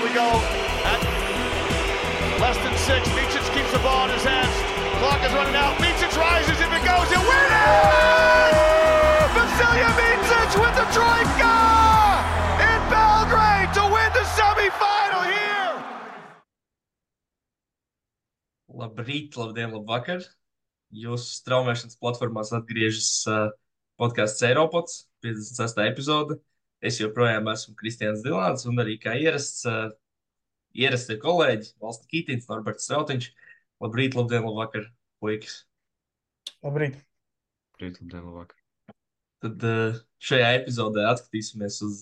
we go at less than 6. Micic keeps the ball in his hands. Clock is running out. Micic rises. If it goes, it wins! Vasilija Micic with the troika in Belgrade to win the semifinal here! Labrīt, labdien, labvakar! Jūsu straumēšanas platformās atgriežas podcasts Eiropods, 56. epizode. Es joprojām esmu Kristians Dilāns un arī kā ierastie kolēģi Valsts Kītins, Norberts Strautiņš. Labrīt, labdien, labvakar, puikas! Labrīt! Labrīt, labdien, labvakar! Tad šajā epizodē atskatīsimies uz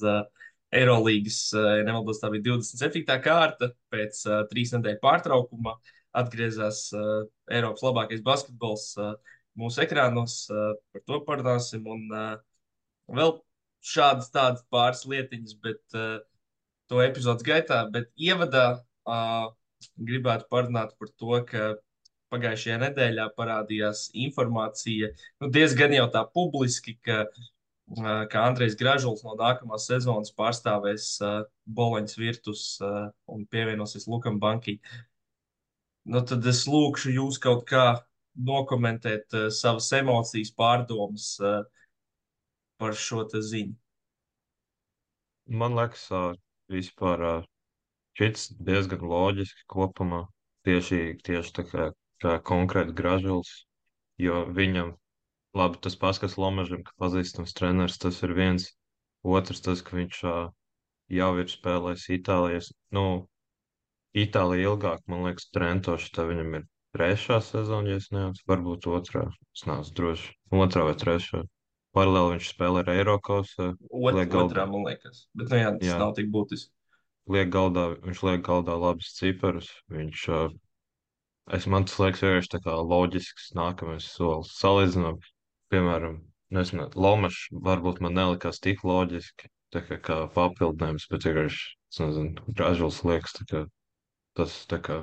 Eirolīgas, ja nemaldos, tā bija 27. kārta. Pēc 3 nedēļu pārtraukuma atgriezās Eiropas labākais basketbols mūsu ekrānos. Par to parunāsim. Un vēl šādas tādas pāris lietiņas, bet to epizodes gaitā. Bet ievadā gribētu parunāt par to, ka pagājušajā nedēļā parādījās informācija, diezgan jau tā publiski, ka Andrejs Gražuls no nākamās sezonas pārstāvēs Boloņas Virtus un pievienosies Lukam Banki. Tad es lūkšu jūs kaut kā nokomentēt savas emocijas, pārdomas par šo te ziņu. Man liekas, vispār šis diezgan loģiski kopumā. Tieši tā kā konkrēti Gražuls, jo viņam, labi, tas paskas Lomažam, ka pazīstams treneris, tas ir viens. Otrs, tas, ka viņš jau ir spēlējis Itālijas, Itālija ilgāk, man liekas, Trento, šitā viņam ir 3. sezona, ja es neatceros, varbūt 2. Es neesmu droši. 2. vai 3. Paralēli viņš spēlē ar Eirokausā. Otrā, man liekas. Bet, tas nav tik būtiski. Viņš liek galdā labas ciparus. Man tas liekas vienkārši tā kā loģisks nākamais solis. Salīdzinām, piemēram, nezinu, Lomašs varbūt man nelikās tik loģiski, tā kā papildinājums, bet vienkārši, nezinu, Gražuls liekas, tas tā kā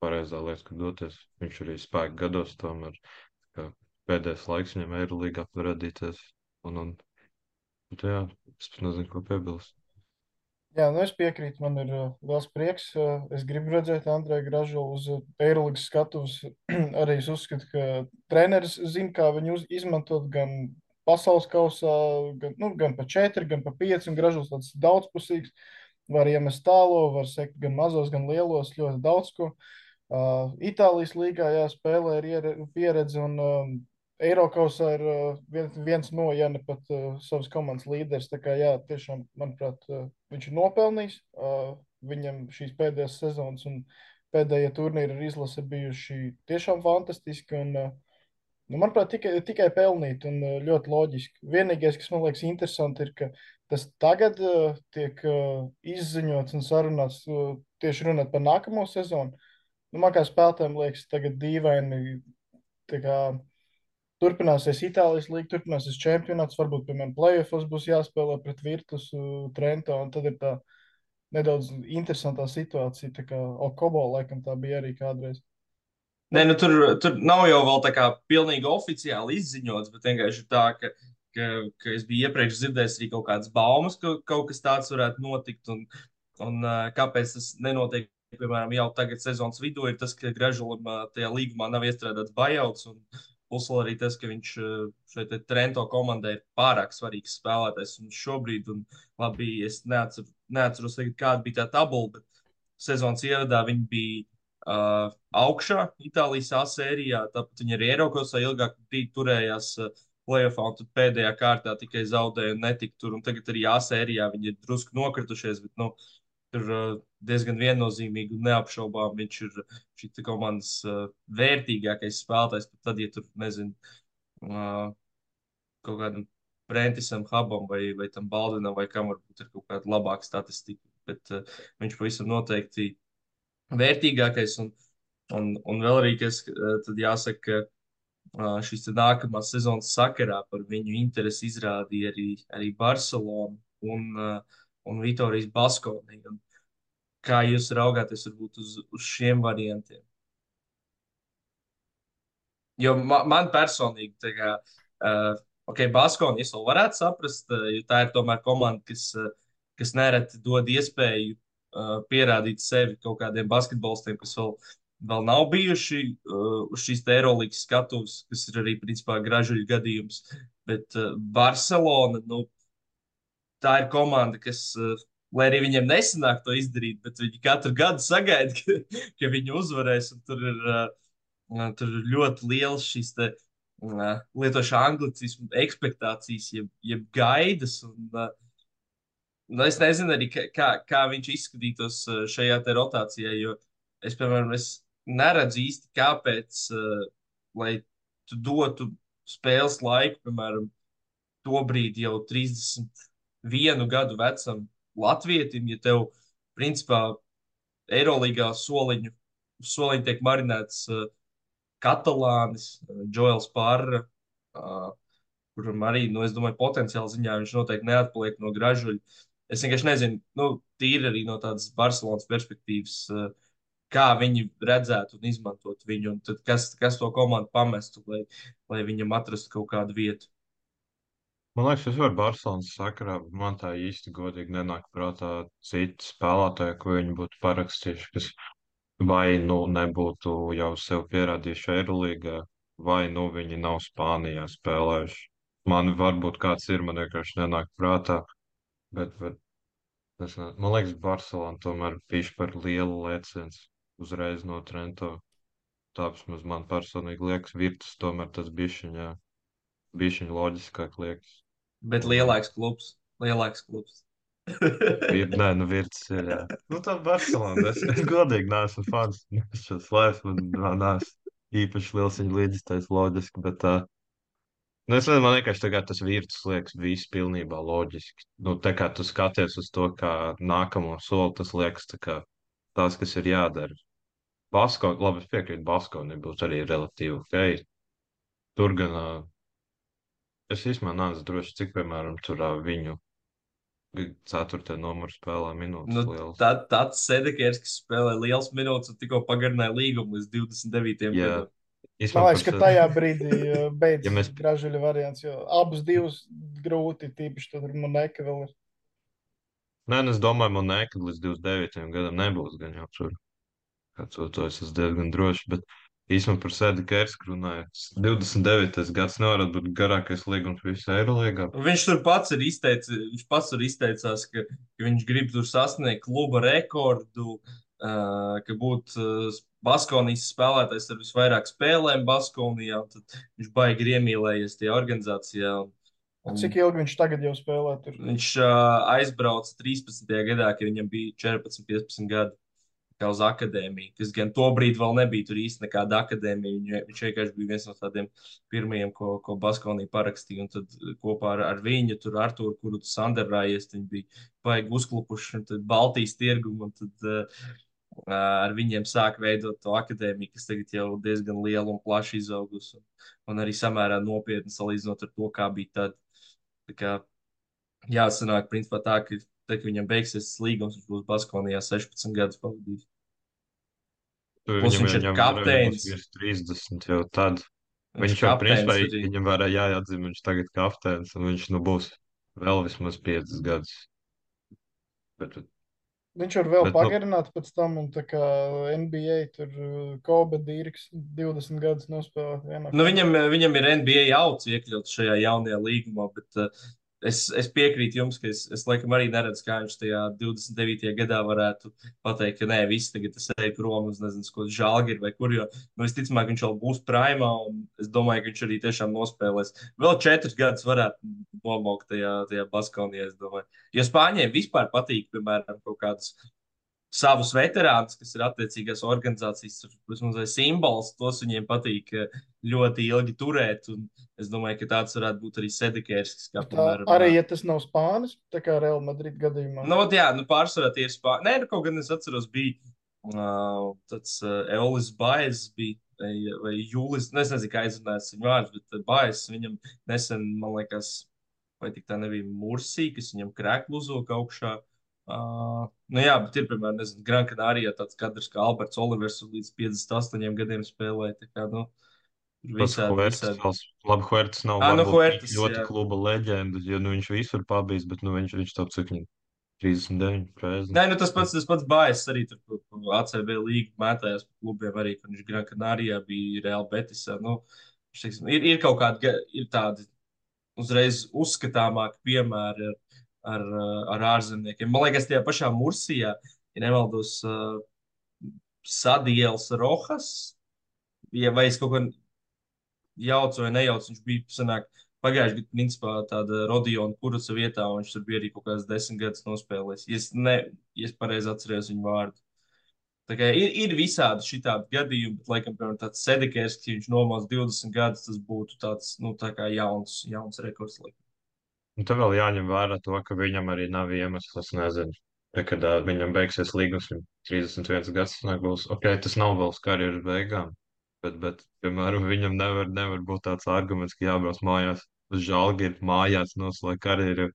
pareizā lieta, ka doties. Viņš arī spēka gados tomēr, pēdējais laiks viņam Eirolīgā parādīties. Bet jā, es nezinu, ko piebilst. Jā, es piekrītu, man ir liels prieks. Es gribu redzēt Andreju Gražulu uz Eirolīgas skatuves. Arī es uzskatu, ka treneris zina, kā viņu izmantot gan pasaules kausā, gan pa 4, gan pa 5. Un Gražuls tāds daudzpusīgs. Var iemest tālo, var sekt gan mazos, gan lielos, ļoti daudz ko. Itālijas līgā spēlē ir pieredze un Eirokausā ir viens no, ja ne pat savas komandas līderis. Tā kā tiešām, manuprāt, viņš ir nopelnījis. Viņam šīs pēdējās sezonas un pēdējie turnīri ar izlasi bijuši tiešām fantastiski un, manuprāt, tikai pelnīti un ļoti loģiski. Vienīgais, kas man liekas interesanti, ir, ka tas tagad tiek izziņots un sarunāts tieši runāt par nākamo sezonu. Man kā spēlētājiem liekas tagad dīvaini, tā kā turpināsies Itālijas līga, turpināsies čempionāts, varbūt, piemēram, playoffs būs jāspēlē pret Virtus, Trento, un tad ir tā nedaudz interesantā situācija, tā kā Okobo, laikam, tā bija arī kādreiz. Nē, tur nav jau vēl tā kā pilnīgi oficiāli izziņots, bet vienkārši tā, ka es biju iepriekš dzirdējis arī kaut kādas baumas, ka kaut kas tāds varētu notikt, un kāpēc tas nenotiek, piemēram, jau tagad sezonas vidū, ir tas, ka Gražulam tajā līgumā nav iestrādāts buyouts, un plus vēl arī tas, ka viņš šeit Trento komandai ir pārāk svarīgs spēlētājs. Un šobrīd, labi, es neatceros, kāda bija tā tabula, bet sezonas ievadā viņi bija augšā Itālijas A sērijā. Tāpat viņi arī Eirokausā ilgāk turējās playoffā, un tad pēdējā kārtā tikai zaudēja un netika tur. Un tagad arī A sērijā viņi ir drusku nokritušies, bet tur diezgan viennozīmīgi un neapšaubām viņš ir šī komandas vērtīgākais spēlētājs. Pat tad, ja tur, nezinu, kaut kādam Brentisam Hubam vai tam Baldvinam vai kam varbūt ir kaut kāda labāka statistika. Bet viņš pavisam noteikti vērtīgākais. Un vēl arī, kas tad jāsaka, ka šīs nākamās sezonas sakarā par viņu interesi izrādīja arī Barcelona un Vitorijas Baskonija. Kā jūs raugāties varbūt uz šiem variantiem? Jo man personīgi, tā kā, Baskonija es vēl varētu saprast, jo tā ir tomēr komanda, kas nereti dod iespēju pierādīt sevi kaut kādiem basketbolistiem, kas vēl nav bijuši uz šīs te Eirolandes skatuves, kas ir arī principā gražuļu gadījums. Bet Barcelona, nu, tā ir komanda, kas, lai arī viņiem nesanāk to izdarīt, bet viņi katru gadu sagaida, ka viņi uzvarēs. Tur ir ļoti liels šīs te, lietošu anglicismu ekspektācijas, jeb gaidas. Nu, es nezinu arī, kā viņš izskatītos šajā te rotācijā, jo es, piemēram, neredzu īsti, kāpēc, lai tu dotu spēles laiku, piemēram, tobrīd jau 31 gadu vecam latvietim, ja tev, principā, Eirolīgā soliņu tiek marinēts Katalānis, Džoels Parra, kuram arī, nu, es domāju, potenciāli ziņā viņš noteikti neatpaliek no gražuļa. Es vienkārši nezinu, nu, tīri arī no tādas Barcelonas perspektīvas, kā viņi redzētu un izmantot viņu, un tad kas to komandu pamestu, lai viņam atrastu kaut kādu vietu. Man liekas, tas var Barcelonas sakarā, bet man tā īsti godīgi nenāk prātā citi spēlētāji, ko viņi būtu parakstījuši, kas vai nu nebūtu jau sev pierādījuši Eirolīgā, vai nu viņi nav Spānijā spēlējuši. Man varbūt kāds ir, man vienkārši nenāk prātā, bet man liekas, Barcelona tomēr bija par lielu lēciens uzreiz no Trento. Tāpēc man personīgi liekas, Virtus tomēr tas bišķiņ loģiskāk liekas. Bet lielāks klubs. Nē, nu Virtus ir, jā. Nu tā Barcelona, es godīgi neesmu fans. Es šo slēpju, man neesmu īpaši liels viņa līdzistais loģiski, bet nu, es nezinu, man vienkārši tagad tas Virtus liekas viss pilnībā loģiski. Nu, tā kā tu skaties uz to, kā nākamo soli, tas liekas tā kā tas, kas ir jādara. Labi, es piekrītu, Baskonī būs arī relatīvi ok. Tur gan es īstenībā neesmu droši, cik, piemēram, tur viņu 4. numuru spēlē minūtes liels. Tāds Sedekers, kas spēlē liels minūtes un tikko pagarināja līgumu līdz 29. gadam. Man liekas, ka tajā brīdī beidzas gražuļa variants, jo abus divus grūti, tīpaši tad Moneka vēl ir. Nē, es domāju, Moneka līdz 29. gadam nebūs gan jau tur. To es esmu diezgan droši, bet īstenībā par Sedekersku runāju. 29. gads nevar būt garākais līgums visā Eirolīgā. Viņš pats tur izteicās, ka viņš grib tur sasniegt kluba rekordu, ka būtu Baskonijas spēlētājs ar visvairāk spēlēm Baskonijā, un tad viņš baigi ir iemīlējies tajā organizācijā. Cik ilgi viņš tagad jau spēlē tur? Viņš aizbrauca 13. gadā, kad viņam bija 14-15 gadi. Kā uz akadēmiju, kas gan tobrīd vēl nebija tur īsti nekāda akadēmija. Viņš vienkārši bija viens no tādiem pirmajiem, ko Baskonija parakstīja. Un tad kopā ar viņu, tur Arturu, kuru tu sanderājies, viņi bija baigi uzklupuši, un tad Baltijas tirgumu, un tad ar viņiem sāk veidot to akadēmiju, kas tagad jau diezgan liela un plaši izaugusi. Un arī samērā nopietni salīdzinot ar to, kā bija tad. Tā kā jāsanāk, principā tā, ka tad, kad viņam beigsies tas līgums, viņš būs Baskonijā 16 gadus pavadījis. Plus viņš ir kapteinis. Viņš ir 30 jau tad. Viņš jau principā viņam varēja jāatzīm, viņš tagad kapteinis, un viņš būs vēl vismaz 5 gadus. Viņš var vēl pagarināt pēc tam, un tā kā NBA tur Kobe Dīriks 20 gadus nospēlēt vienā. Nu, viņam ir NBA auts iekļauts šajā jaunajā līgumā, bet es piekrītu jums, ka es laikam arī neredzu, kā viņš tajā 29. gadā varētu pateikt, ka nē, viss tagad es eju prom uz nezinu, ko Žalgiri vai kur, jo visticamāk viņš vēl būs primā, un es domāju, ka viņš arī tiešām nospēlēs. Vēl 4 gadus varētu nomaukt tajā Baskonijā, es domāju. Jo Spāņiem vispār patīk, piemēram, kaut kādus savus veterānus, kas ir attiecīgās organizācijas vai simbols, tos viņiem patīk ļoti ilgi turēt. Es domāju, ka tāds varētu būt arī Sedekers. Arī, ja tas nav Spānis, tā kā Real Madrid gadījumā. Nu, jā, pārsvarā tie ir Spāni. Nē, kaut gan es atceros, bija tāds Eulis Baez bija, vai Julis, es nezinu, kā aizrunājas viņa vārds, bet Baez viņam nesen, man liekas, vai tik tā nebija Mursī, kas viņam krēklu uzvilka augšā. Nu jā, bet ir, piemēram, Gran Canaria tāds kadrs kā Alberts Olivers līdz 58 gadiem spēlēja. Tā kā, visādi. Labi, Huertas nav Huertas, ļoti kluba leģenda, jo viņš visur pabijis, bet viņš tāds cik 39, 40. Nē, nu tas pats Bājs arī tur ACB līgu mētājās par klubiem, arī kad viņš Gran Canarijā bija Real Betisā. Nu, teiksim, ir kaut kādi, ir tādi uzreiz uzskatāmāki piemēri ar ārzemniekiem. Man liekas, tajā pašā Mursijā, ja nemaldos, Sadielas Rohas, ja vai es kaut ko jaucu vai nejaucu, viņš bija sanāk, pagājušajā gadā, principā, tāda Rodiona Kuruca vietā, un viņš tur bija arī kaut kāds 10 gadus nospēlējis. Ja es pareizi atceros viņu vārdu. Tā kā ir visādi šitādi gadījumi, bet, laikam, piemēram, tāds Sedekers, ja viņš nomāc 20 gadus, tas būtu tāds, nu, tā kā jauns rekords. Laikam. Un tad vēl jāņem vērā to, ka viņam arī nav iemesls, nezinu. Tad, kad viņam beigsies līgums, viņam 31 gads nebūs. Ok, tas nav vēl uz karjeras beigām, bet piemēram, viņam nevar būt tāds arguments, ka jābrauc mājās uz Žalgiri, mājās noslēgt karjeru.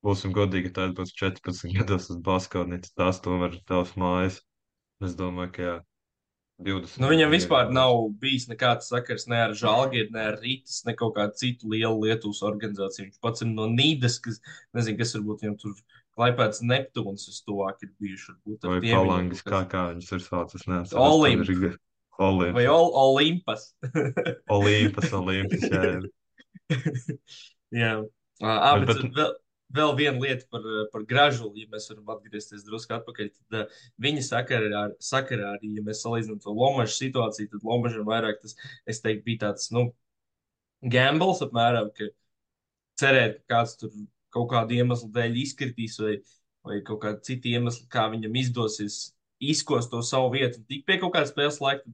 Būsim godīgi, tad būs 14 gados uz Baskovnicu, tās tomēr ir tavs mājas. Es domāju, ka jā, Nu, 20 viņam gadu vispār mierīgi. nav bijis nekāds sakars ne ar Žalgiru, ne ar Rītas, ne kaut kādu citu lielu Lietuvas organizāciju. Viņš pats ir no Nīdas, kas, nezinu, kas varbūt viņam tur Klaipēdas Neptūns vistuvāk ir bijuši. Varbūt ar Vai tiem viņam palangis, kaut kāds kā viņas ir saucas, neatceros. Tad Olimp ir vai Olimps. Olimpas. Olimpas, jā. Jā, bet Bet vēl viena lieta par Gražulu, ja mēs varam atgriezties drusku atpakaļ. Tad viņa sakarā arī, ja mēs salīdzinām to Lomažu situāciju, tad Lomažam vairāk tas, es teiktu, bija tāds, nu, gambles apmēram, ka cerēt, ka kāds tur kaut kādu iemeslu dēļ izkritīs vai kaut kādu citu iemeslu, kā viņam izdosies izkost to savu vietu un tik pie kaut kāda spēles laika.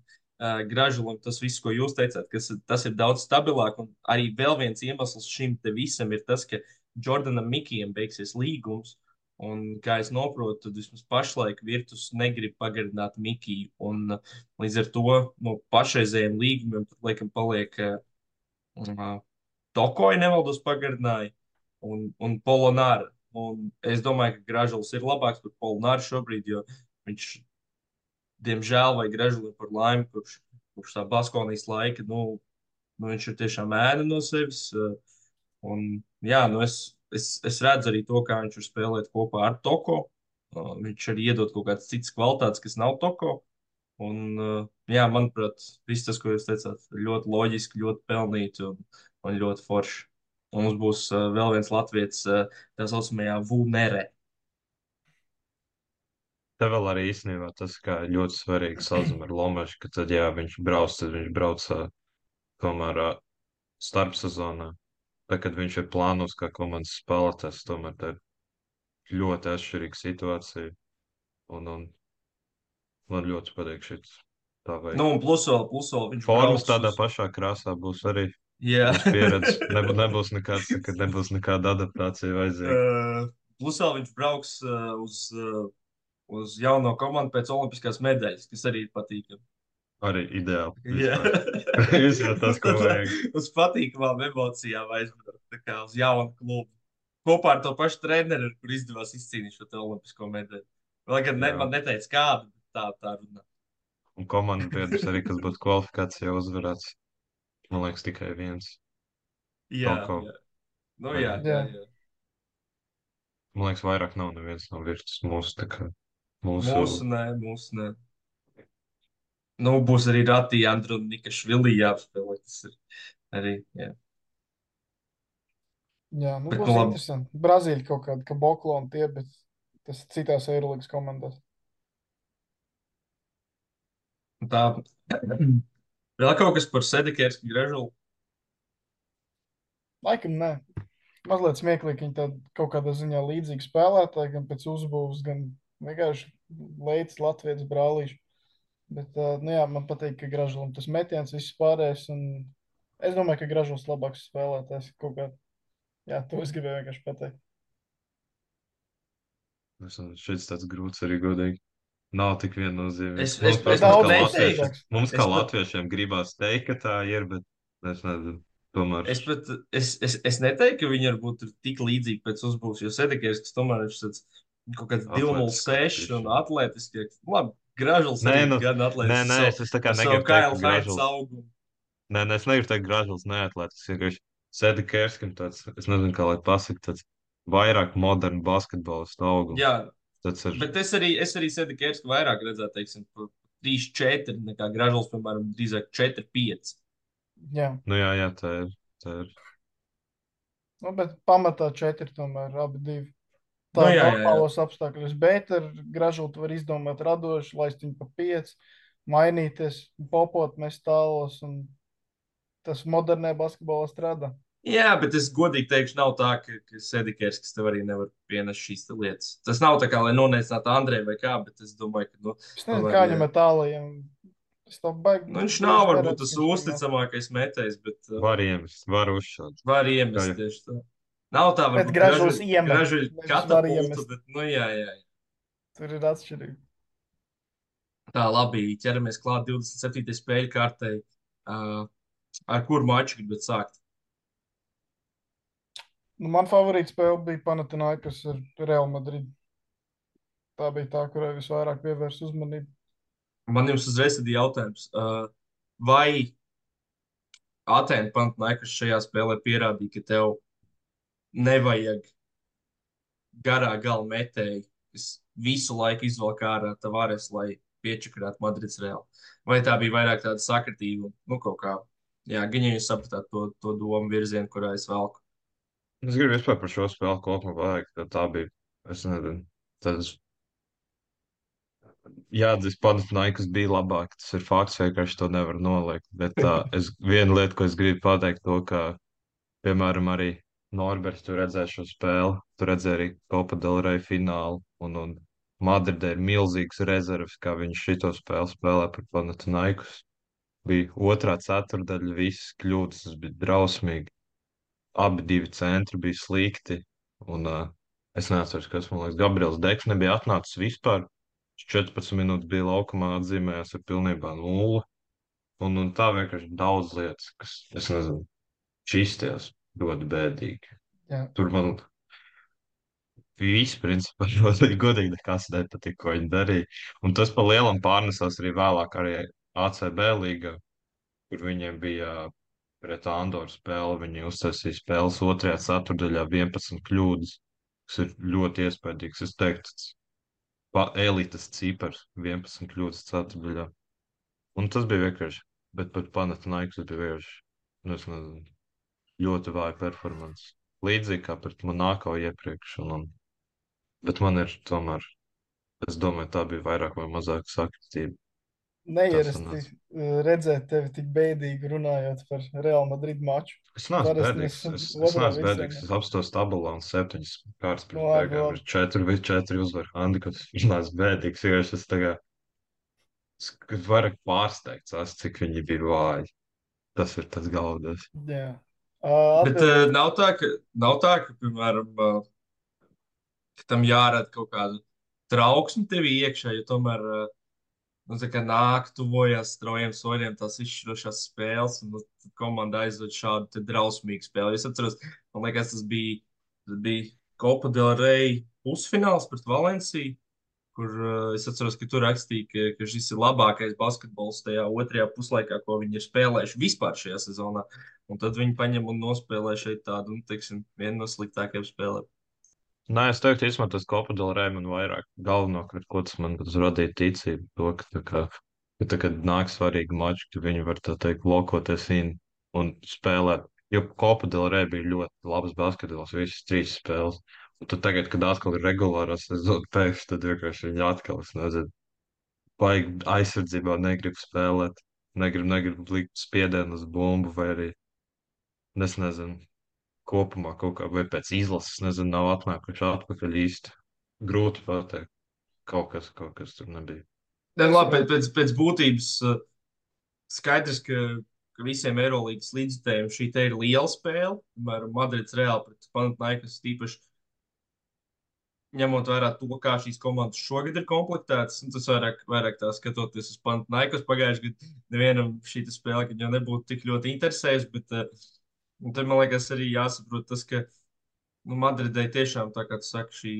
Gražulam tas viss, ko jūs teicāt, tas ir daudz stabilāk. Un arī vēl viens iemesls šim te visam ir tas, ka Jordanam Mikijam beigsies līgums. Un, kā es saprotu, tad vismaz pašlaik Virtus negrib pagarināt Mikiju. Un, līdz ar to no pašreizējiem līgumiem tur laikam paliek Tokoja nevaldos pagarināja un Polonāra. Un es domāju, ka Gražuls ir labāks par Polonāru šobrīd, jo viņš diemžēl, vai Gražulim par laimi, kurš tā Baskonijas laika, nu viņš ir tiešām ēna no sevis. Un, jā, nu es redzu arī to, kā viņš var spēlēt kopā ar Toko. Viņš arī iedod kaut kādas citas kvalitātes, kas nav Toko. Un, jā, manuprāt, viss tas, ko jūs teicāt, ir ļoti loģiski, ļoti pelnīti un ļoti forši. Un mums būs vēl viens latviečs, tā saucamajā Vunere. te vēl arī īstenībā tas, kā ļoti svarīgi sazina ar Lomašu, ka tad, jā, viņš brauc tomēr starpsezonā. Tad, kad viņš ir plānos kā komandas spēlētājs, tomēr tā ir ļoti atšķirīga situācija. Un man ļoti patīk šis tā veids. Nu, un plus vēl viņš Formas brauks tādā uz. pašā krāsā būs arī. Jā. Būs pieredze. Nebūs nekāda adaptācija vajadzīga. Plus vēl viņš brauks uz jauno komandu pēc olimpiskās medaļas, kas arī ir patīkami. Arī ideāli. Jā. Vispār tas, ko vajag. Uz patīkamām emocijām aizbraukt, tā kā uz jaunu klubu. Kopā ar to pašu treneru, kur izdevās izcīnīt šo te olimpisko medaļu. Lai gan Jā. man neteica kādu, bet tā runā. Un komandas biedrs arī, kas būtu kvalifikācijā uzvarēts. Man liekas, tikai viens. Jā, Toko. jā. Nu, jā. Man liekas, vairāk nav neviens no Virtus mūsu, tā kā mūsu. Mūsu nē. Nu, būs arī Ratija Andronika Švilī jāapspēlē. Tas ir arī, jā. Jā, nu Bet, būs nu, labi. interesanti. Brazīļi kaut kāda, ka Boklo un tie, bet tas citās Eirolandes komandās. Tā. Vēl kaut kas par Sedekērsku Gražulu? Laikam nē. Mazliet smieklīgi, viņi tādi kaut kādā ziņā līdzīgi spēlētāji, gan pēc uzbūves, gan vienkārši leids Latvijas brālīši. Bet, nu jā, man patīk, ka Gražulam tas metiens viss pārējais, un es domāju, ka Gražuls labāks spēlētājs kaut kā. Jā, to es gribēju vienkārši pateikt. Šis tāds grūts arī godīgi. Nav tik viennozīmīgs. Es daudz neteiktu. Mums kā Es pat- latviešiem gribās teikt, ka tā ir, bet es nezinu. Tomēr Es neteiktu, ka viņi varbūt ir tik līdzīgi pēc uzbūves, jo Sedekērs, kas tomēr ir tāds kaut kāds 206 un atletiski. Labi, Gražuls Nē, arī nu, gan atletiski. nē, es tā kā ar savu negribu teikt, Kyle ka Hines Gražuls. augumu. Nē, es negribu teikt, ka Gražuls neatlētis. Vienkārši Sedekērskim tāds, es nezinu, kā lai pasaka, tāds vairāk modernu basketbolistu augumu. Jā, Tas ir, bet es arī Sedikersku vairāk redzētu, teiksim, 3-4, nekā Gražuls, piemēram, drīzāk 4-5. Jā, jā, tā ir. nu, bet pamatā 4 tomēr abi divi. Nu, Tā ir jā. normālos apstākļos, bet ar Gražultu var izdomāt radoši, laist viņu pa 5, mainīties, popot, mest tālos, un tas modernē basketbolā strādā. Jā, bet es godīgi teikšu, nav tā, ka Sedikers, kas tev arī nevar pienest šīs te lietas. Tas nav tā kā, lai noneicinātu Andreju vai kā, bet es domāju, ka, nu, Es nezinu, tomēr, kā ja, viņam ir tālajiem. Es to baigi nu, viņš nav bieži varbūt neredzu, tas ka viņš tur nav. uzticamākais metējs, bet Var iemest, var uzšaut. var Jā, iemest jā. tieši tā. Nav tā, Bet varbūt Gražuls iemet, gražuļu nevis var katapulta, iemest. bet, nu, jā. Tur ir atšķirība. Tā, labi, ķeramies klāt 27. spēļu kārtai. Ar kuru maču gribat sākt? Nu, man favorīta spēle bija Panathinaikos ar Real Madrid. Tā bija tā, kurai visvairāk pievērst uzmanību. Man jums uzreiz ir jautājums. Vai Atēna Panathinaikos šajā spēlē pierādīja, ka tev nevajag garā gala metēju, kas visu laiku izvelk ārā Tavares, lai piečakarētu Madrids Real? Vai tā bija vairāk tāda sakritība? Nu, kaut kā, jā, gan ja jūs sapratāt to domu virzienu, kurā es velku. Es gribu vispār par šo spēli kopumā pateikt, ka tā bija, es nezinu, tas jāatzīst, Panathinaikos bija labāk. Tas ir fakts, vienkārši to nevar noliegt. Bet viena lieta, ko es gribu pateikt, to, ka, piemēram, arī Norberts, tu redzēji šo spēli, tu redzēji arī Copa del Rey finālu, un Madridē ir milzīgs rezerves, kā viņš šito spēli spēlē par Panathinaikos. Bija otrā ceturdaļa, visas kļūdas, tas bija drausmīgi. Abi divi centri bija slikti, un es neatceros, kas man liekas, Gabriels Deks nebija atnācis vispār. Viņš 14 minūtes bija laukumā, atzīmējās ar pilnībā nulli. Un tā vienkārši daudz lietas, kas, es nezinu, šķīsties ļoti bēdīgi. Jā. Tur man viss, principā, ļoti godīgi nekas nepatika, ko viņi darīja. Un tas pa lielam pārnesās arī vēlāk arī ACB līgā, kur viņiem bija pret Andoru spēli. Viņi uztaisīja spēles otrajā ceturdaļā 11 kļūdas, kas ir ļoti iespaidīgs. Es teiktu, elites cipars 11 kļūdas ceturdaļā. Un tas bija vienkārši, bet pat Panathinaikos bija vienkārši, nu, es nezinu, ļoti vāja performance. Līdzīgi kā pret Monako iepriekš. Bet man ir tomēr, es domāju, tā bija vairāk vai mazāk sakritība. Neierasti redzēt tevi tik bēdīgi runājot par Real Madrid maču. Es neesmu Parasti bēdīgs. mēs Es otrā neesmu bēdīgs. virzienā. Es apstos tabulā un 7 kārtas pirms Labi, beigām labi. ir 4 uzvaru handikaps. Es neesmu bēdīgs, vienkārši es tagad vairāk pārsteigts, cik viņi bija vāji. Tas ir tas galvenais. Jā. Bet Atbildot, nav tā, ka, piemēram, ka tam jārada kaut kādu trauksmi tevī iekšā, jo tomēr, nu, tā kā nāk, tuvojas straujiem soļiem tās izšķirošās spēles, un nu, tad komanda aizved šādu te drausmīgu spēli. Es atceros, man liekas, tas bija Copa del Rey pusfināls pret Valenciju, kur es atceros, ka tur rakstīja, ka šis ir labākais basketbols tajā otrajā puslaikā, ko viņi ir spēlējuši vispār šajā sezonā. Un tad viņi paņem un nospēlē šeit tādu, nu, teiksim, vienu no sliktākajiem spēlēm. Nē, es teiktu, īstenībā tas Copa del Rey man vairāk galvenokārt, ko tas man radīja ticību, to, ka tā, kad nāk svarīgi mači, ka viņi var, tā teikt, lokoties in un spēlēt. Jo Copa del Rey bija ļoti labs basketbols, visas 3 spēles. Un tad tagad, kad atkal ir regulārās sezonas pēkšņi, tad vienkārši viņi atkal, es nezinu, baigi aizsardzībā negrib spēlēt, negrib likt spiedienu uz bumbu vai arī, es nezinu, kopumā kaut kā, vai pēc izlases, nezinu, nav atnākuši atpakaļ īsti. Grūti pateikt. Kaut kas tur nebija. Nē, labi, pēc būtības skaidrs, ka visiem Eirolandes līdzekļiem šī te ir liela spēle. Piemēram, Madrids Real pret Panathinaikos tīpaši ņemot vērā to, kā šīs komandas šogad ir komplektētas. Tas vairāk tā skatoties uz Panathinaikos pagājušajā gadā, nevienam šī spēle, kad jau nebūtu tik ļoti interesējusi. Bet tad man liekas arī jāsaprot tas, ka nu, Madridai tiešām, tā kā tu saki, šī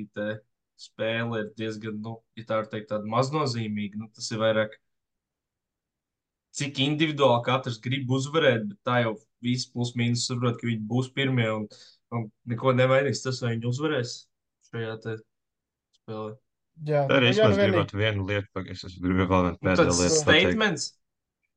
spēle ir diezgan, nu, ja tā var teikt, tāda maznozīmīga. Nu, tas ir vairāk, cik individuāli katrs grib uzvarēt, bet tā jau visi plus mīnus saprot, ka viņi būs pirmie. Un Un neko nemainīs tas, vai viņi uzvarēs šajā te spēlē. Jā, Tā arī jā, es nu vienīgi. gribētu vienu lietu, es gribu vēl vienu Nu, pēdējo tāds lietu pateikt. statements.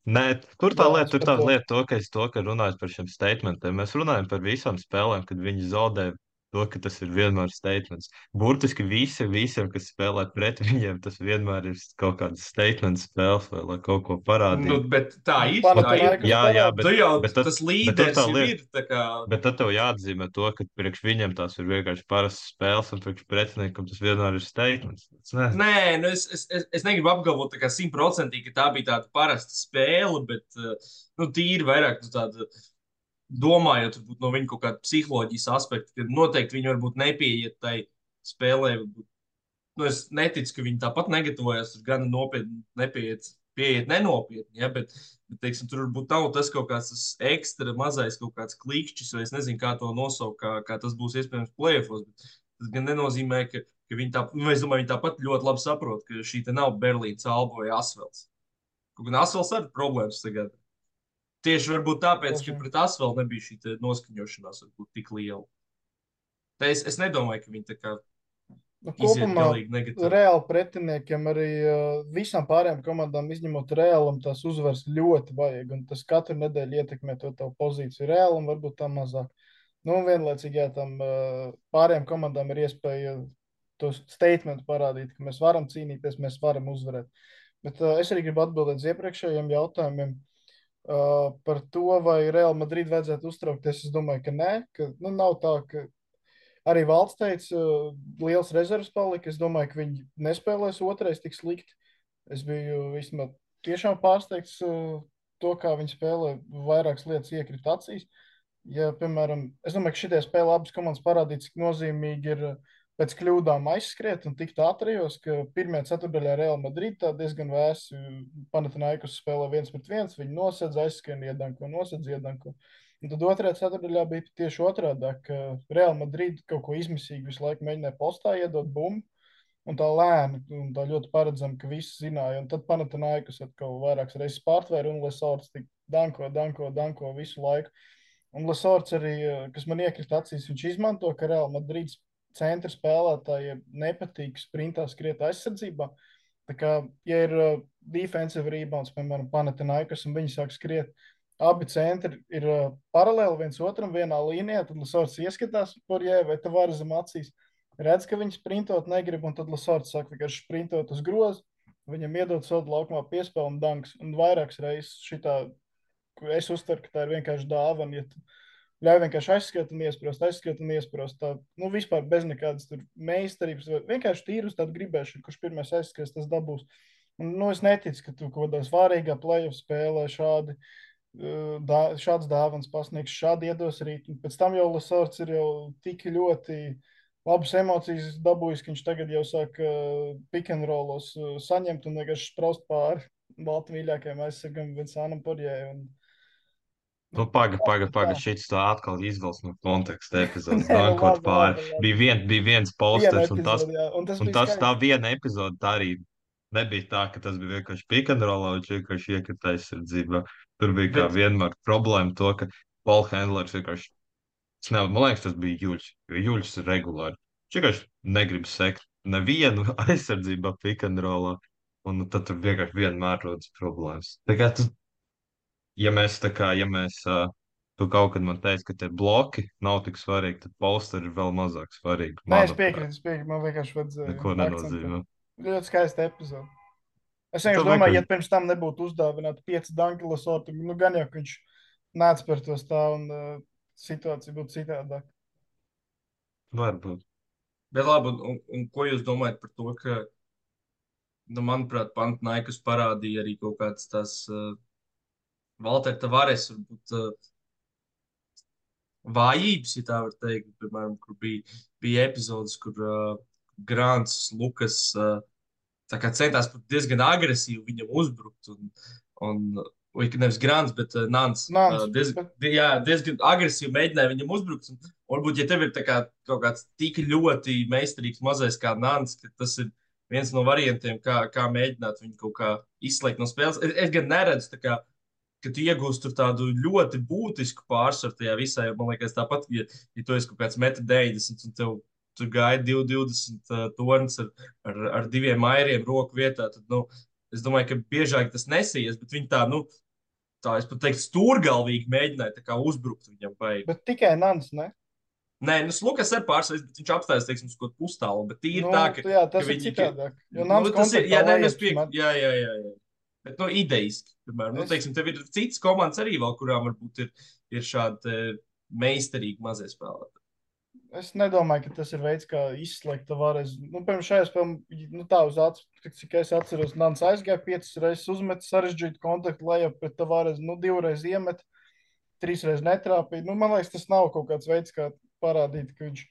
Nē, tur Jā, es tā par to. lieta, ka runājot par šiem statementiem, mēs runājam par visām spēlēm, kad viņi zaudē to, ka tas ir vienmēr statements. Burtiski visiem, kas spēlē pret viņiem, tas vienmēr ir kaut kāds statements spēles vai lai kaut ko Nu, parādītu. bet tā ir. Panathinaikos Jā, Tu jau bet tad- tas bet tur līderis tā jau lieta- ir. Tā kā, Bet tad tev jāatzīmē to, ka priekš viņiem tās ir vienkārši parastas spēles, un priekš pretiniekam tas vienmēr ir statements. nē, nu es negribu apgalvot tā kā 100%, ka tā bija tāda parasta spēle, bet nu, tīri vairāk nu, tāda. Domājot varbūt, no viņa kaut kāda psiholoģijas aspekta, ka noteikti viņi varbūt nepieiet tai spēlē. Varbūt, nu, es neticu, ka viņi tāpat negatavojās, tur gan nopietni pieiet nenopietni, ja, bet teiksim, tur varbūt nav tas kaut kāds tas ekstra mazais kaut kāds klikšķis, vai es nezinu, kā to nosaukt, kā tas būs iespējams plēfos. Tas gan nenozīmē, ka viņi tā, nu, es domāju, viņi tāpat ļoti labi saprot, ka šī te nav Berlīnas Alba vai Asvels. Kaut gan Asvels arī problēmas tagad. Tieši varbūt tāpēc, ka pret Asvelu nebija šī te noskaņošanās varbūt tik liela. Tā es nedomāju, ka viņi tā kā Nu, iziet kopumā galīgi negatīvi. reāli pretiniekiem arī visām pārējām komandām, izņemot Reālam, tās uzvaras ļoti vajag. Un tas katru nedēļu ietekmē to tavu pozīciju. Reālam varbūt tā mazāk. Nu, un vienlaicīgi, jā, tam pārējām komandām ir iespēja to statementu parādīt, ka mēs varam cīnīties, mēs varam uzvarēt. Bet es arī gribu atbildēt uz iepriekšējiem jautājumiem par to, vai Real Madrid vajadzētu uztraukties. Es domāju, ka nē, ka nu, nav tā, ka arī Valds teica, liels rezerves palika. Es domāju, ka viņi nespēlēs otrais tik slikti. Es biju vismaz tiešām pārsteigts to, kā viņi spēlē. Vairākas lietas iekrita acīs. Ja, piemēram, es domāju, ka šitie spēle abas komandas parādīja, cik nozīmīgi ir pēc kļūdām aizskriet un tikt ātrijos, ka pirmajā ceturdaļā Real Madrid tā diezgan vēsi Panathinaikos spēlē 1-1, viņi nosedz, aizskrien, iedanko, nosedz, iedanko. Un tad otrajā ceturdaļā bija tieši otrādi, ka Real Madrid kaut ko izmisīgi visu laiku mēģināja postā iedot bumbu, un tā lēni, un tā ļoti paredzami, ka visi zināja. Un tad Panathinaikos atkal vairākas reizes pārtvēra, un Lesorts tik danko visu laiku. Un Lesorts arī, kas man iekrita acīs, viņš izmanto, ka Real Madrids centra spēlētājiem nepatīk sprintā skriet aizsardzībā. Tā kā, ja ir defensive rebounds, piemēram, Panathinaikos, un viņi sāk skriet, abi centri ir paralēli viens otram vienā līnijā, tad Lesorts ieskatās par jē, vai te var zem acīs. Redz, ka viņi sprintot negrib, un tad Lesorts sāk vienkārši sprintot uz grozu, viņam iedod sodu laukumā piespēlu un danks. Un vairākas reizes šitā, es uztveru, ka tā ir vienkārši dāvana, ja tu ļauj vienkārši aizskriet un iesprost. Tā, nu, vispār bez nekādas tur meistarības, vienkārši tīri uz tādu gribēšanu, kurš pirmais aizskries, tas dabūs. Un, nu, es neticu, ka tu kaut kādā svārīgā playoff spēlē šāds dāvans pasniegs, šādi iedos rīt. Un pēc tam jau Lesorts ir jau tik ļoti labas emocijas dabūjis, ka viņš tagad jau sāk pick and rollos saņemt un vienkārši spraust pāri baltu mīļākajiem aizsargam Vincānam Porjē. Nu, paga, šis tā atkal izvelc no konteksta epizodes. Nē, nu, Dankot labi, pāri. labi. Bija viens Viena posters, un epizode, jā, un tas un bija tas skaisti. tā viena epizode, tā arī nebija tā, ka tas bija vienkārši pick and roll, viņš vienkārši iekrita aizsardzībā. Tur bija kā vienmēr problēma to, ka Paul Handlers vienkārši, man liekas, tas bija Juļs, jo Juļs ir regulāri. Viņš vienkārši negrib sekt nevienu aizsardzībā pick and rollā, un tad tur vienkārši vienmēr rodas problēmas. Tā kā tu kaut kad man teici, ka tie bloki nav tik svarīgi, tad posteri ir vēl mazāk svarīgi. Nē, es piekrītu, man vienkārši vajadzēja Neko nenozīmē. Ļoti skaista epizode. Es Tu vienkārši domāju, vienkārši- ja pirms tam nebūtu uzdāvināti 5 danki Lesortu, nu gan jau, ka viņš nāc par to stāv un situācija būtu citādāk. Varbūt. Bet labi, un ko jūs domājat par to, ka, nu, manuprāt, Panathinaikos parādīja arī kaut kāds tās Valter Tavares, varbūt vājības, ja tā var teikt, piemēram, kur bija epizodes, kur Grants, Lukas tā kā centās diezgan agresīvi viņam uzbrukt, vai nevis Grants, bet Nants. Diezgan agresīvi mēģināja viņam uzbrukt, un varbūt, ja tev ir tā kā kaut kāds tik ļoti meistarīgs mazais kā Nants, ka tas ir viens no variantiem, kā mēģināt viņu kaut kā izslēgt no spēles. Es gan neredzu tā kā ka tu iegūsi tur tādu ļoti būtisku pārsvaru tajā visā. Jo, man liekas, tāpat, ja tu esi kaut kāds 1,90 m un tev tur gaida 2,20 tornis ar 2 mairiem roku vietā, tad, nu, es domāju, ka biežāk tas nesies, bet viņi tā, nu, tā, es pat teiktu, stūrgalvīgi mēģināja tā kā uzbrukt viņam baigi. Bet tikai Nants, ne? Nē, nu, Lukas ir pārsvars, bet viņš apstājas, teiksim, uz kaut kādu pustālu, bet tīri Nu, tā, jā, ka tas ir viņi, citādāk. Jo nu, Nants tas ir, kontaktā jā, nē, nu, es lejups pieku, met. jā. Bet, nu, idejiski, piemēram, nu, Es- teiksim, tev ir citas komandas arī vēl, kurām varbūt ir šādi meistarīgi mazie spēlētāji. Es nedomāju, ka tas ir veids, kā izslēgt Tavares. Nu, piemēram, šajā spēlē, nu, tā uz acu, cik es atceros, Nants aizgāja 5 reizes, uzmet sarežģītu kontaktu lejā pret Tavares, nu, 2 reizes iemet, 3 reizes netrāpīja. Nu, man liekas, tas nav kaut kāds veids, kā parādīt, ka viņš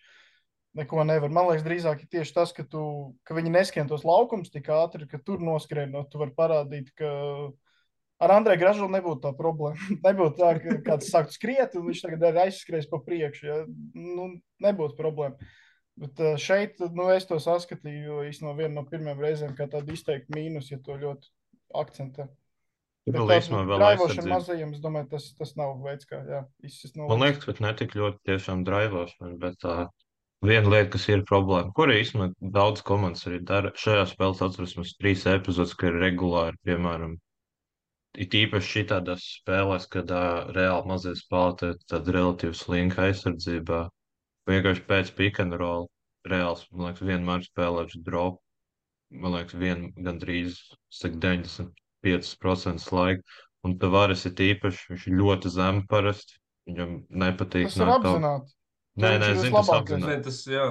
neko nevar. Man liekas, drīzāk ir tieši tas, ka viņi neskrien tos laukumus tik ātri, ka tur noskrienot, tu vari parādīt, ka ar Andreju Gražulu nebūtu tā problēma. Nebūtu tā, ka kāds sāktu skriet, un viņš tagad ir aizskries pa priekšu. Ja? Nu, nebūtu problēma. Bet šeit, nu, es to saskatīju īstenībā vienu no pirmajām reizēm, kā tādu izteiktu mīnus, ja to ļoti akcentē. Bet Vēl tādu īstenībā vēl draivošanu aizsardzība. mazajiem, es domāju, tas nav veids, kā izsist no Man līnijas. liekas, ka ne tik ļoti tiešām draivošana, bet viena lieta, kas ir problēma, kur īstenībā daudz komandas arī dara. Šajā spēlē atceros mums 3 epizodes, ka ir regulāri, piemēram, it īpaši šitādās spēlēs, kad reāli mazie spēlētāji tāda relatīvi slinka aizsardzībā. Vienkārši pēc pick and roll reāls, man liekas, vienmēr spēlēšu drop. Man liekas, gandrīz saka 95% laika. Un Tavares ir īpaši, viņš ir ļoti zemi parasti. Viņam nepatīk Tas ir apzināti. Nē, viņš ir zinu, tas vislabākais. apzināti. Nē, tas, jā.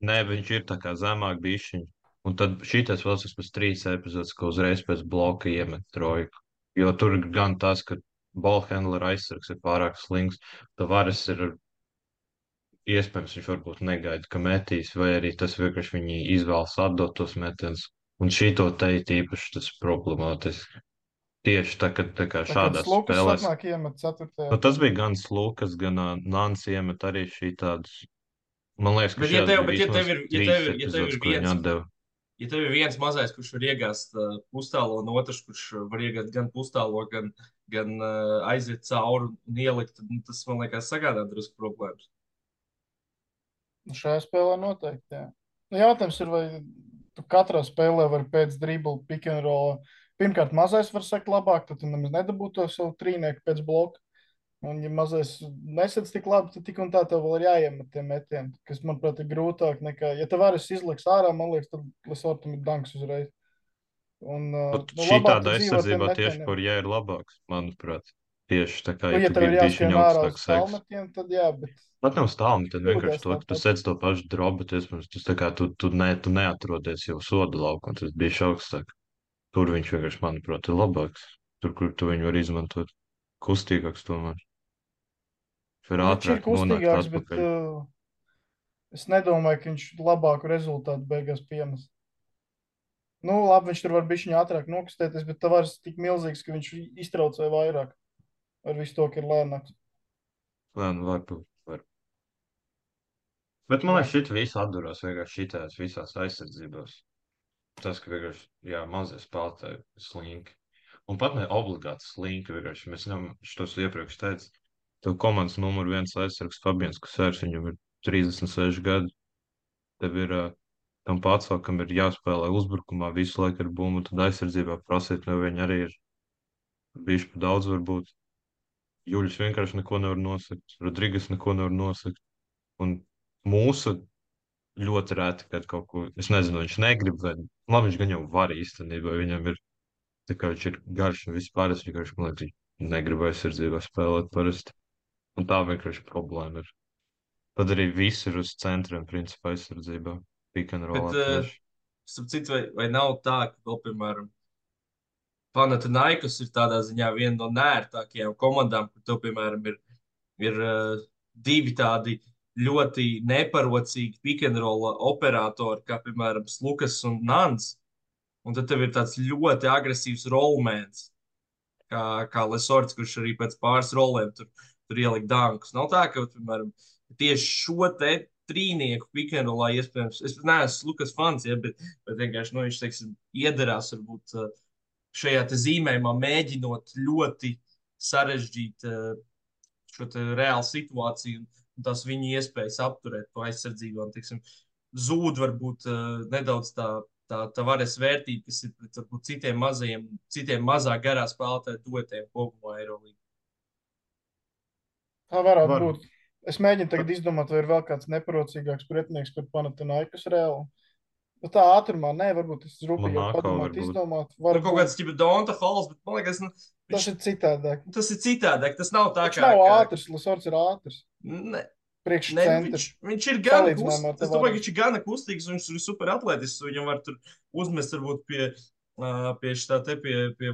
Nē, viņš ir tā kā zemāk bišķiņš. Un tad šitais vēl pēc 3 epizodes, ka uzreiz pēc bloka iemet trojku. Jo tur ir gan tas, ka ballhandler aizsargs ir pārāk slings, Tavares ir iespējams, viņš varbūt negaida, ka metīs, vai arī tas vienkārši viņi izvēlas atdot tos metienus. Un šito teikt īpaši tas problemātiski. Tieši tā, tā kā Tā kā šādās Lukas spēlēs. atnāk iemet 4. Nu, tas bija gan Slukas, gan Nāns iemet arī šī tādas. Man liekas, ka Bet, ja šajās tev, bija bet, ja vismaz tev ir, ja 3 tev, ja tev epizodes, ir ko viņi viens, atdeva. ja tev ir viens mazais, kurš var iegāzt pustālo, un otrs, kurš var iegāzt gan pustālo, gan aiziet cauri un ielikt, tad nu, tas, man liekas, sagādā drusku problēmas. Nu, šajā spēlē noteikti, jā. Nu, jautājums ir, vai tu katrā spēlē vari pēc dribla pick and roll. Pirmkārt, mazais var sekt labāk, tad tu nemaz nedabūtu to savu trīnieku pēc bloka. Un, ja mazais nesadz tik labi, tad tik un tā tev vēl ir jāiemet tie metieni, kas, manuprāt, ir grūtāk nekā, ja tev varas izliks ārā, man liekas, tad Lesortam ir danks uzreiz. Un, Šī labāk tāda tu dzīvo ar tiem aizsardzībā tieši metieniem. par jā ir labāks, manuprāt. Tieši tā kā, Nu, ja tu tev ir gribi jāskrien bišķiņu ārā uz augstāk seks. tālmetienu, tad jā, bet Pat nav stāvni, tad vienkārši kļūdās to, ka tu tāpat. sēdz to pašu drobu, bet iespējams, tu tā kā tu neatrodies jau soda laukā, un tas bija augstāk. Tur viņš vienkārši, manuprāt, ir labāks. Tur, kur tu viņu vari izmantot kustīgāks tomēr. Viņš var Viņš ir ātrāk nonākt kustīgāks, bet atpakaļ. es nedomāju, ka viņš labāku rezultātu beigās pienes. Nu, labi, viņš tur var bišķiņā ātrāk nokustēties, bet Tavares tik milzīgs, ka viņš iztraucē vairāk ar visu to, ka ir lēnāks. Nē, nu varbūt. Bet man liekas, šit visu atdurās vienkārši šitās visās aizsardzībās. Tas, ka vienkārši, jā, mazie spēlētāji ir slinki. Un pat ne obligāti slinki vienkārši. Mēs ņem, šitos iepriekš teicu, tev komandas numur 1 aizsargs Fabians Kusērs, viņam ir 36 gadi. Tev ir tam pārcākam ir jāspēlē uzbrukumā visu laiku ar bumbu, tad aizsardzībā prasīt no viņa arī ir bijuši pa daudz varbūt. Juļus vienkārši neko nevar nosakt, Rodrigas neko nevar nosakt. Un mūsu ļoti reti, kad kaut ko, es nezinu, viņš negrib, vai labi, viņš gan jau var īstenībā, viņam ir, tā kā viņš ir garš un vispār, es vienkārši, man liekas, viņš negrib aizsardzībā spēlēt parasti. Un tā vienkārši problēma ir. Tad arī viss ir uz centriem, principā, aizsardzībā. Pick and roll tieši. Starp citu, vai nav tā, ka vēl, piemēram, Panathinaikos ir tādā ziņā viena no nērtākajām komandām, kur tev, piemēram, ir divi tādi ļoti neparocīgi pick and roll operatori, kā, piemēram, Lukas un Nants. Un tad tev ir tāds ļoti agresīvs rollmans, kā Lesorts, kurš arī pēc pāris rolēm tur ielika dankus. Nav tā, ka, piemēram, tieši šo te trīnieku pick and rollā iespējams, es neesmu Lukas fans, ja, bet vienkārši, nu, viņš, teiksim, iederās varbūt šajā te zīmējumā mēģinot ļoti sarežģīt šo reālu situāciju un tās viņa iespējas apturēt to aizsardzību. Un, tiksim, zūd varbūt nedaudz tā varas vērtība, kas ir pret varbūt citiem mazāk garā spēlētāju duetiem kopumā Eirolandā. Tā varētu Var. būt. Es mēģinu tagad izdomāt, vai ir vēl kāds neparocīgāks pretinieks par Panathinaikos Reāli. Nu, tā ātrumā, nē, varbūt es rūpīgi Monako padomāt, varbūt. izdomāt. Nu, kaut Varbūt kāds ķipa Donta Halls, bet man liekas, tas ir citādāk. tas ir citādāk. Tas nav tā Viņš kā. nav ātrs, Lasors ir ātrs. Ne, Priekš ne, centra. viņš ir gan Salīdzinājumā ar kustīgs. Es domāju, ka viņš ir gan kustīgs, un viņš ir super atletisks. Viņam var tur uzmest varbūt pie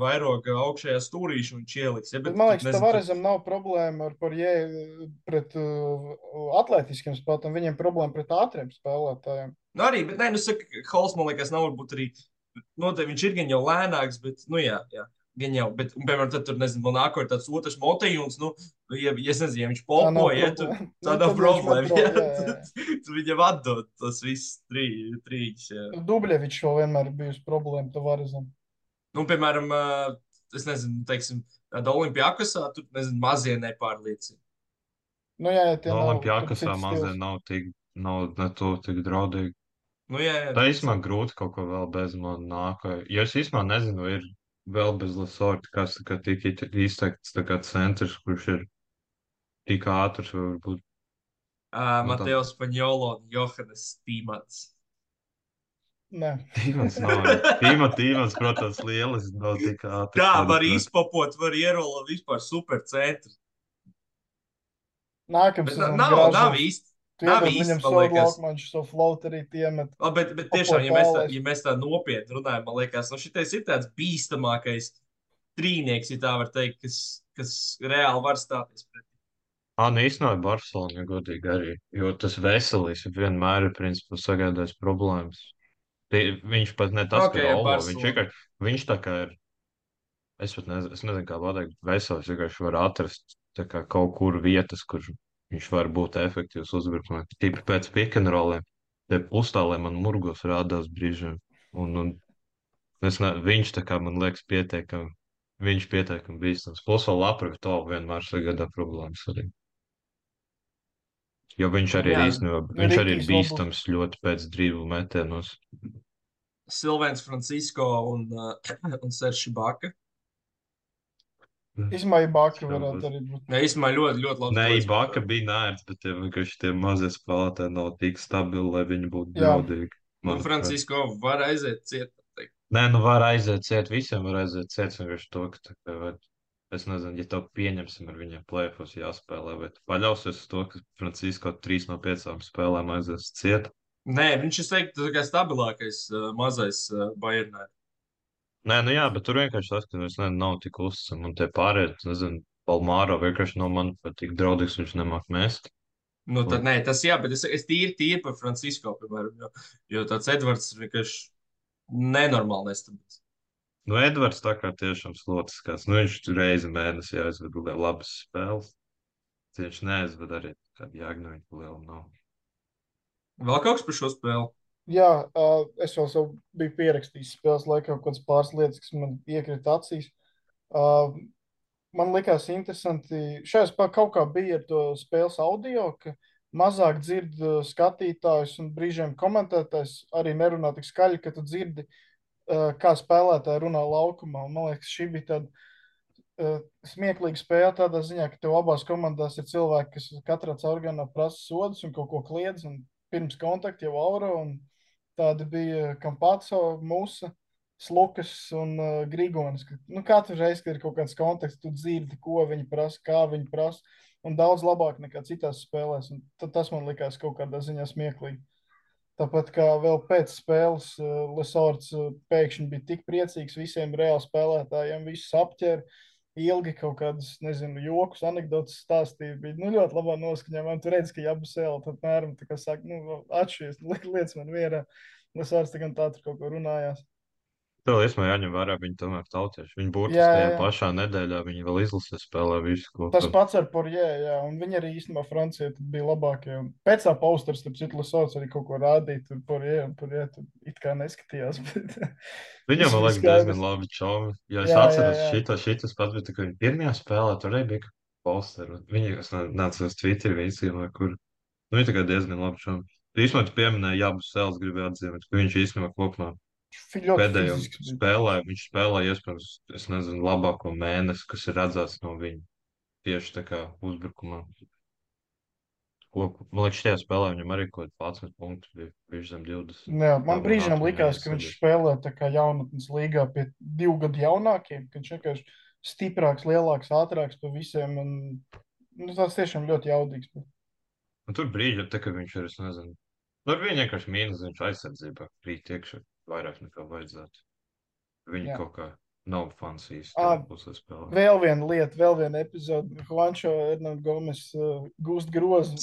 vairoga augšējā stūrīša un viņš ieliks. Ja, Bet man liekas, Tavarezam nav problēma ar pret atletiskiem spēlētājiem. Viņiem problēma pret ātriem spēlētājiem. Nu arī, bet nē, nu saka, Halls, man liekas, nav varbūt arī, noteikti viņš ir gan jau lēnāks, bet, nu jā, gan jau, bet, un, piemēram, tad tur, nezinu, man nāko ir tāds otrs Motejons, nu, ja es nezinu, ja viņš polpo, ja, tur tā nav problēma, ja, tu viņam atdod tas viss trīs, jā. Dubļevičs vēl vienmēr ir bijusi problēma Tavarezam. Nu, piemēram, es nezinu, teiksim, tāda Olimpiakosā, tur, nezinu, mazie nepārliecina. Nu jā, tie No nav. Olimpiakosā mazliet nav ne to tik draudīgi. Nu, jā. Tā īstenībā grūti kaut ko vēl bez man nāka. Jo es īstenībā nezinu, ir vēl bez Lasorta, kas tā kā tik izteikts tā kā centrs, kurš ir tik ātrs, varbūt. Mateo Spaņolo un Johannes Tīmans. Nē. Tīmans nav. Tīmans, protams, lielis, nav tik ātrs. Kā var izpopot, var ierolot vispār super centru. Nākamais nav īsti. Nav īsti, viņam man sodu liekas. laukumā, viņš šo float arī tiemet. Bet tiešām, ja mēs tā nopietni runājam, man liekas, nu šitais ir tāds bīstamākais trīnieks, ja tā var teikt, kas reāli var stāties pret. Nu īstenībā Barcelona, ja godīgi arī, jo tas veselīs vienmēr ir, principā, sagādājis problēmas. Viņš pat ne tas, Okay, ka Olo, Barcelona. viņš tā kā ir, es nezinu, kā pateikt, veselis, vienkārši var atrast tā kā kaut kur vietas, kur viņš var būt efektīvs uzbrukumā. Tīpaši pēc pick-and-rolliem, te uztālē man murgos rādās brīžiem. Un viņš tā kā man liekas pietiekami bīstams. Plus vēl Laprovito vienmēr sagādā problēmas arī. Jo viņš arī ir Jā. īstenībā, viņš arī ir Rikijs bīstams ļoti pēc driblu metienos. Silvens Francisco un Serši Baka. Izmaiņa Baka varētu arī būt. Jā, īstenībā ļoti labi. Nē, Baka bija nērts, bet vienkārši tie mazie spēlētāji nav tik stabili, lai viņi būtu Jā. draudīgi. Un Francisco var aiziet ciet. Nē, nu var aiziet ciet, visiem var aiziet ciet, vienkārši to, ka tā kā, es nezinu, ja tev pieņemsim ar viņiem plēfos jāspēlē, vai tu paļausies uz to, ka Francisco 3 no 5 spēlēm aizies ciet. Nē, viņš ir teikt, tā kā stabilākais mazais Bayernē. Nē, nu jā, bet tur vienkārši tas, ka es nezinu, nav tik uzticami, un tie pārējie, nezinu, Palmāro vienkārši no man pat tik draudīgs, viņš nemāk mest. Nu, tad nē, tas jā, bet es tīri par Francisco, piemēram, jo tāds Edvards ir vienkārši nenormāli nestabils. Nu, Edvards tā kā tiešām slotiskās. Nu, viņš reizi mēnesī aizved labas spēles. Viņš neaizved arī kādu jāgnu viņa lielu nav. Vēl kaut kas par šo spēli? Jā, es vēl sev biju pierakstījis spēles laikā kaut kādas pāris lietas, kas man iekrita acīs. Man likās interesanti, šajā spēlē kaut kā bija ar to spēles audio, ka mazāk dzird skatītājus un brīžiem komentētājs arī nerunā tik skaļi, ka tu dzirdi, kā spēlētāji runā laukumā. Un man liekas, šī bija tāda smieklīga spēle tādā ziņā, ka tev abās komandās ir cilvēki, kas katrā caurganā prasa sodus un kaut ko kliedz, un pirms kontakta jau auro, un tādi bija Kampaco, Musa, Slukas un Grigonis. Katru reizi, kad ir kaut kāds konteksts, tu dzirdi, ko viņi prasa, kā viņi prasa, un daudz labāk nekā citās spēlēs. Un tas man likās kaut kādā ziņā smieklīgi. Tāpat kā vēl pēc spēles Lesorts pēkšņi bija tik priecīgs visiem reāli spēlētājiem, visus apķēra, ilgi kaut kādas, nezinu, jokus, anekdotas stāstīja. Bija ļoti labā noskaņā. Man tur redz, ka Jabusēla tad mēram tā kā saka, atšķies, lietas man mierā. Lesorts tā tur kaut ko runājās. Tev īstenībā jāņem vērā, viņi tomēr tautieši. Viņi Jā, burtiski jā, tajā jā. pašā nedēļā viņi vēl izlasē spēlē visu, ko Tas tur. pats ar Porjē, jā, un viņi arī īstenībā Francijā tad bija labākie. Un pēc tā posters, starp citu, Lasauts arī kaut ko rādīja, tur Porjē tur it kā neskatījās, bet Viņam, viss man bija liekas, diezgan skaidrs. labi čomi. Ja es Jā, jā, atceros, jā. šitas pats bija, tā, ka viņi pirmajā spēlē tur arī bija posteri. Viņi, es nācu uz Twitter, viņi izsīmē, kur. Nu, viņi tā kā diezgan labi čomi. Īsumā tu pieminēji Jābu Sēles, gribēju atzīmēt, ka viņš īstenībā kopumā Ļoti pēdējo fizisks bija. spēlē, viņš spēlē iespējams, es nezinu, labāko mēnesi, kas ir redzēts no viņa tieši tā kā uzbrukumā. Man liekas, šajā spēlē viņam arī kaut kāds 11 punktus bija, viņš zem 20. Jā, Tā man man brīžiem atmiņā likās, ka viņš iesēdies. spēlē tā kā jaunatnes līgā pie 2 gadu jaunākiem, ka viņš vienkārši stiprāks, lielāks, ātrāks par visiem. Un, nu, tas tiešām ļoti jaudīgs. Un tur brīži, tā, ka viņš ir, es nezinu, nu, ar viņu vienkārši mīnus, viņš aizsardzībā krīt iekšā vairāk nekā vajadzētu. Viņi Jā. kaut kā nav fans īsti Ā, tajā pusē spēlē. Vēl viena lieta, vēl viena epizode. Juancho Hernandez Gomes gūst grozu.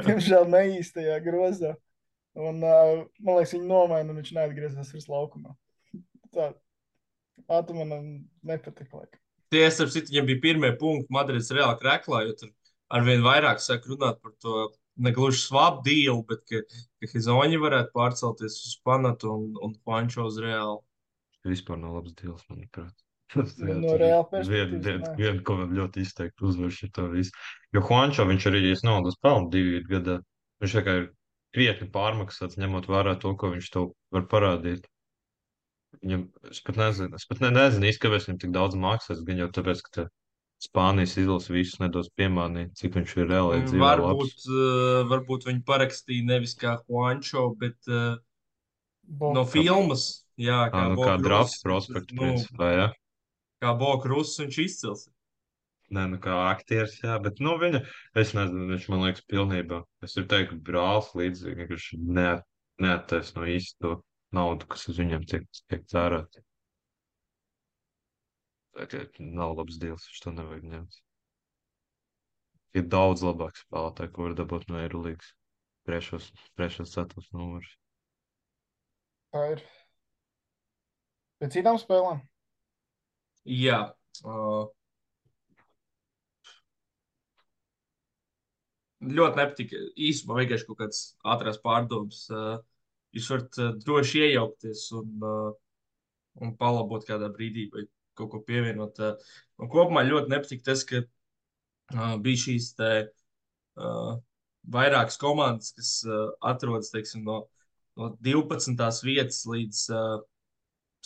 Diemžēl ne īstajā grozā. Un, man liekas, viņi nomaina, un viņš neatgriezās vairs laukumā. Tā manam nepatika. Tie, starp citu, viņam bija pirmie punkti Madrides Reāla kreklā, jo tur arvien vairāk sāk runāt par to negluži swap deal, bet ka Hizoņi varētu pārcelties uz Panatu un Juancho uz Reālu. Vispār nav labs deals, manuprāt. Nu, no Reāla perspektīvas, Viena, nē. ko man ļoti izteikti uzvar šito visu. Jo Juancho, viņš arī, es naudas pelnu 2 gadā. Viņš tā kā ir krietni pārmaksāts, ņemot vērā to, ko viņš to var parādīt. Viņam, es pat nezinu īsti, kāpēc viņam tik daudz maksās, gan jau tāpēc, ka Spānijas izlase visus nedos piemānīt, cik viņš ir reāli dzīvē labs. Varbūt viņi parakstīja nevis kā Juancho, bet no Boka. filmas. Jā, kā Nu, kā draft prospektu, principā, jā. Kā Boka Russ viņš izcils. Nē, nu kā aktieris, jā, bet, nu, es nezinu, viņš man liekas pilnībā. Es varu teikt, ka brālis līdzīgi, ka viņš neattaisno īsti to naudu, kas uz viņiem tiek tērēta. Tā kā nav labs deals, viņš to nevajag ņemt. Ir daudz labāk spēlētāji, ko var dabūt no Eirolīgas. Priekšos ceturtos numurs. Tā ir. Pēc citām spēlēm. Jā. Ļoti nepatika. Īsumā vienkārši kaut kāds ātrās pārdomas. Jūs varat droši iejaukties un palabot kādā brīdī vai kaut ko pievienot. Un kopumā ļoti nepatika tas, ka bija šīs te vairākas komandas, kas atrodas, teiksim, no 12. vietas līdz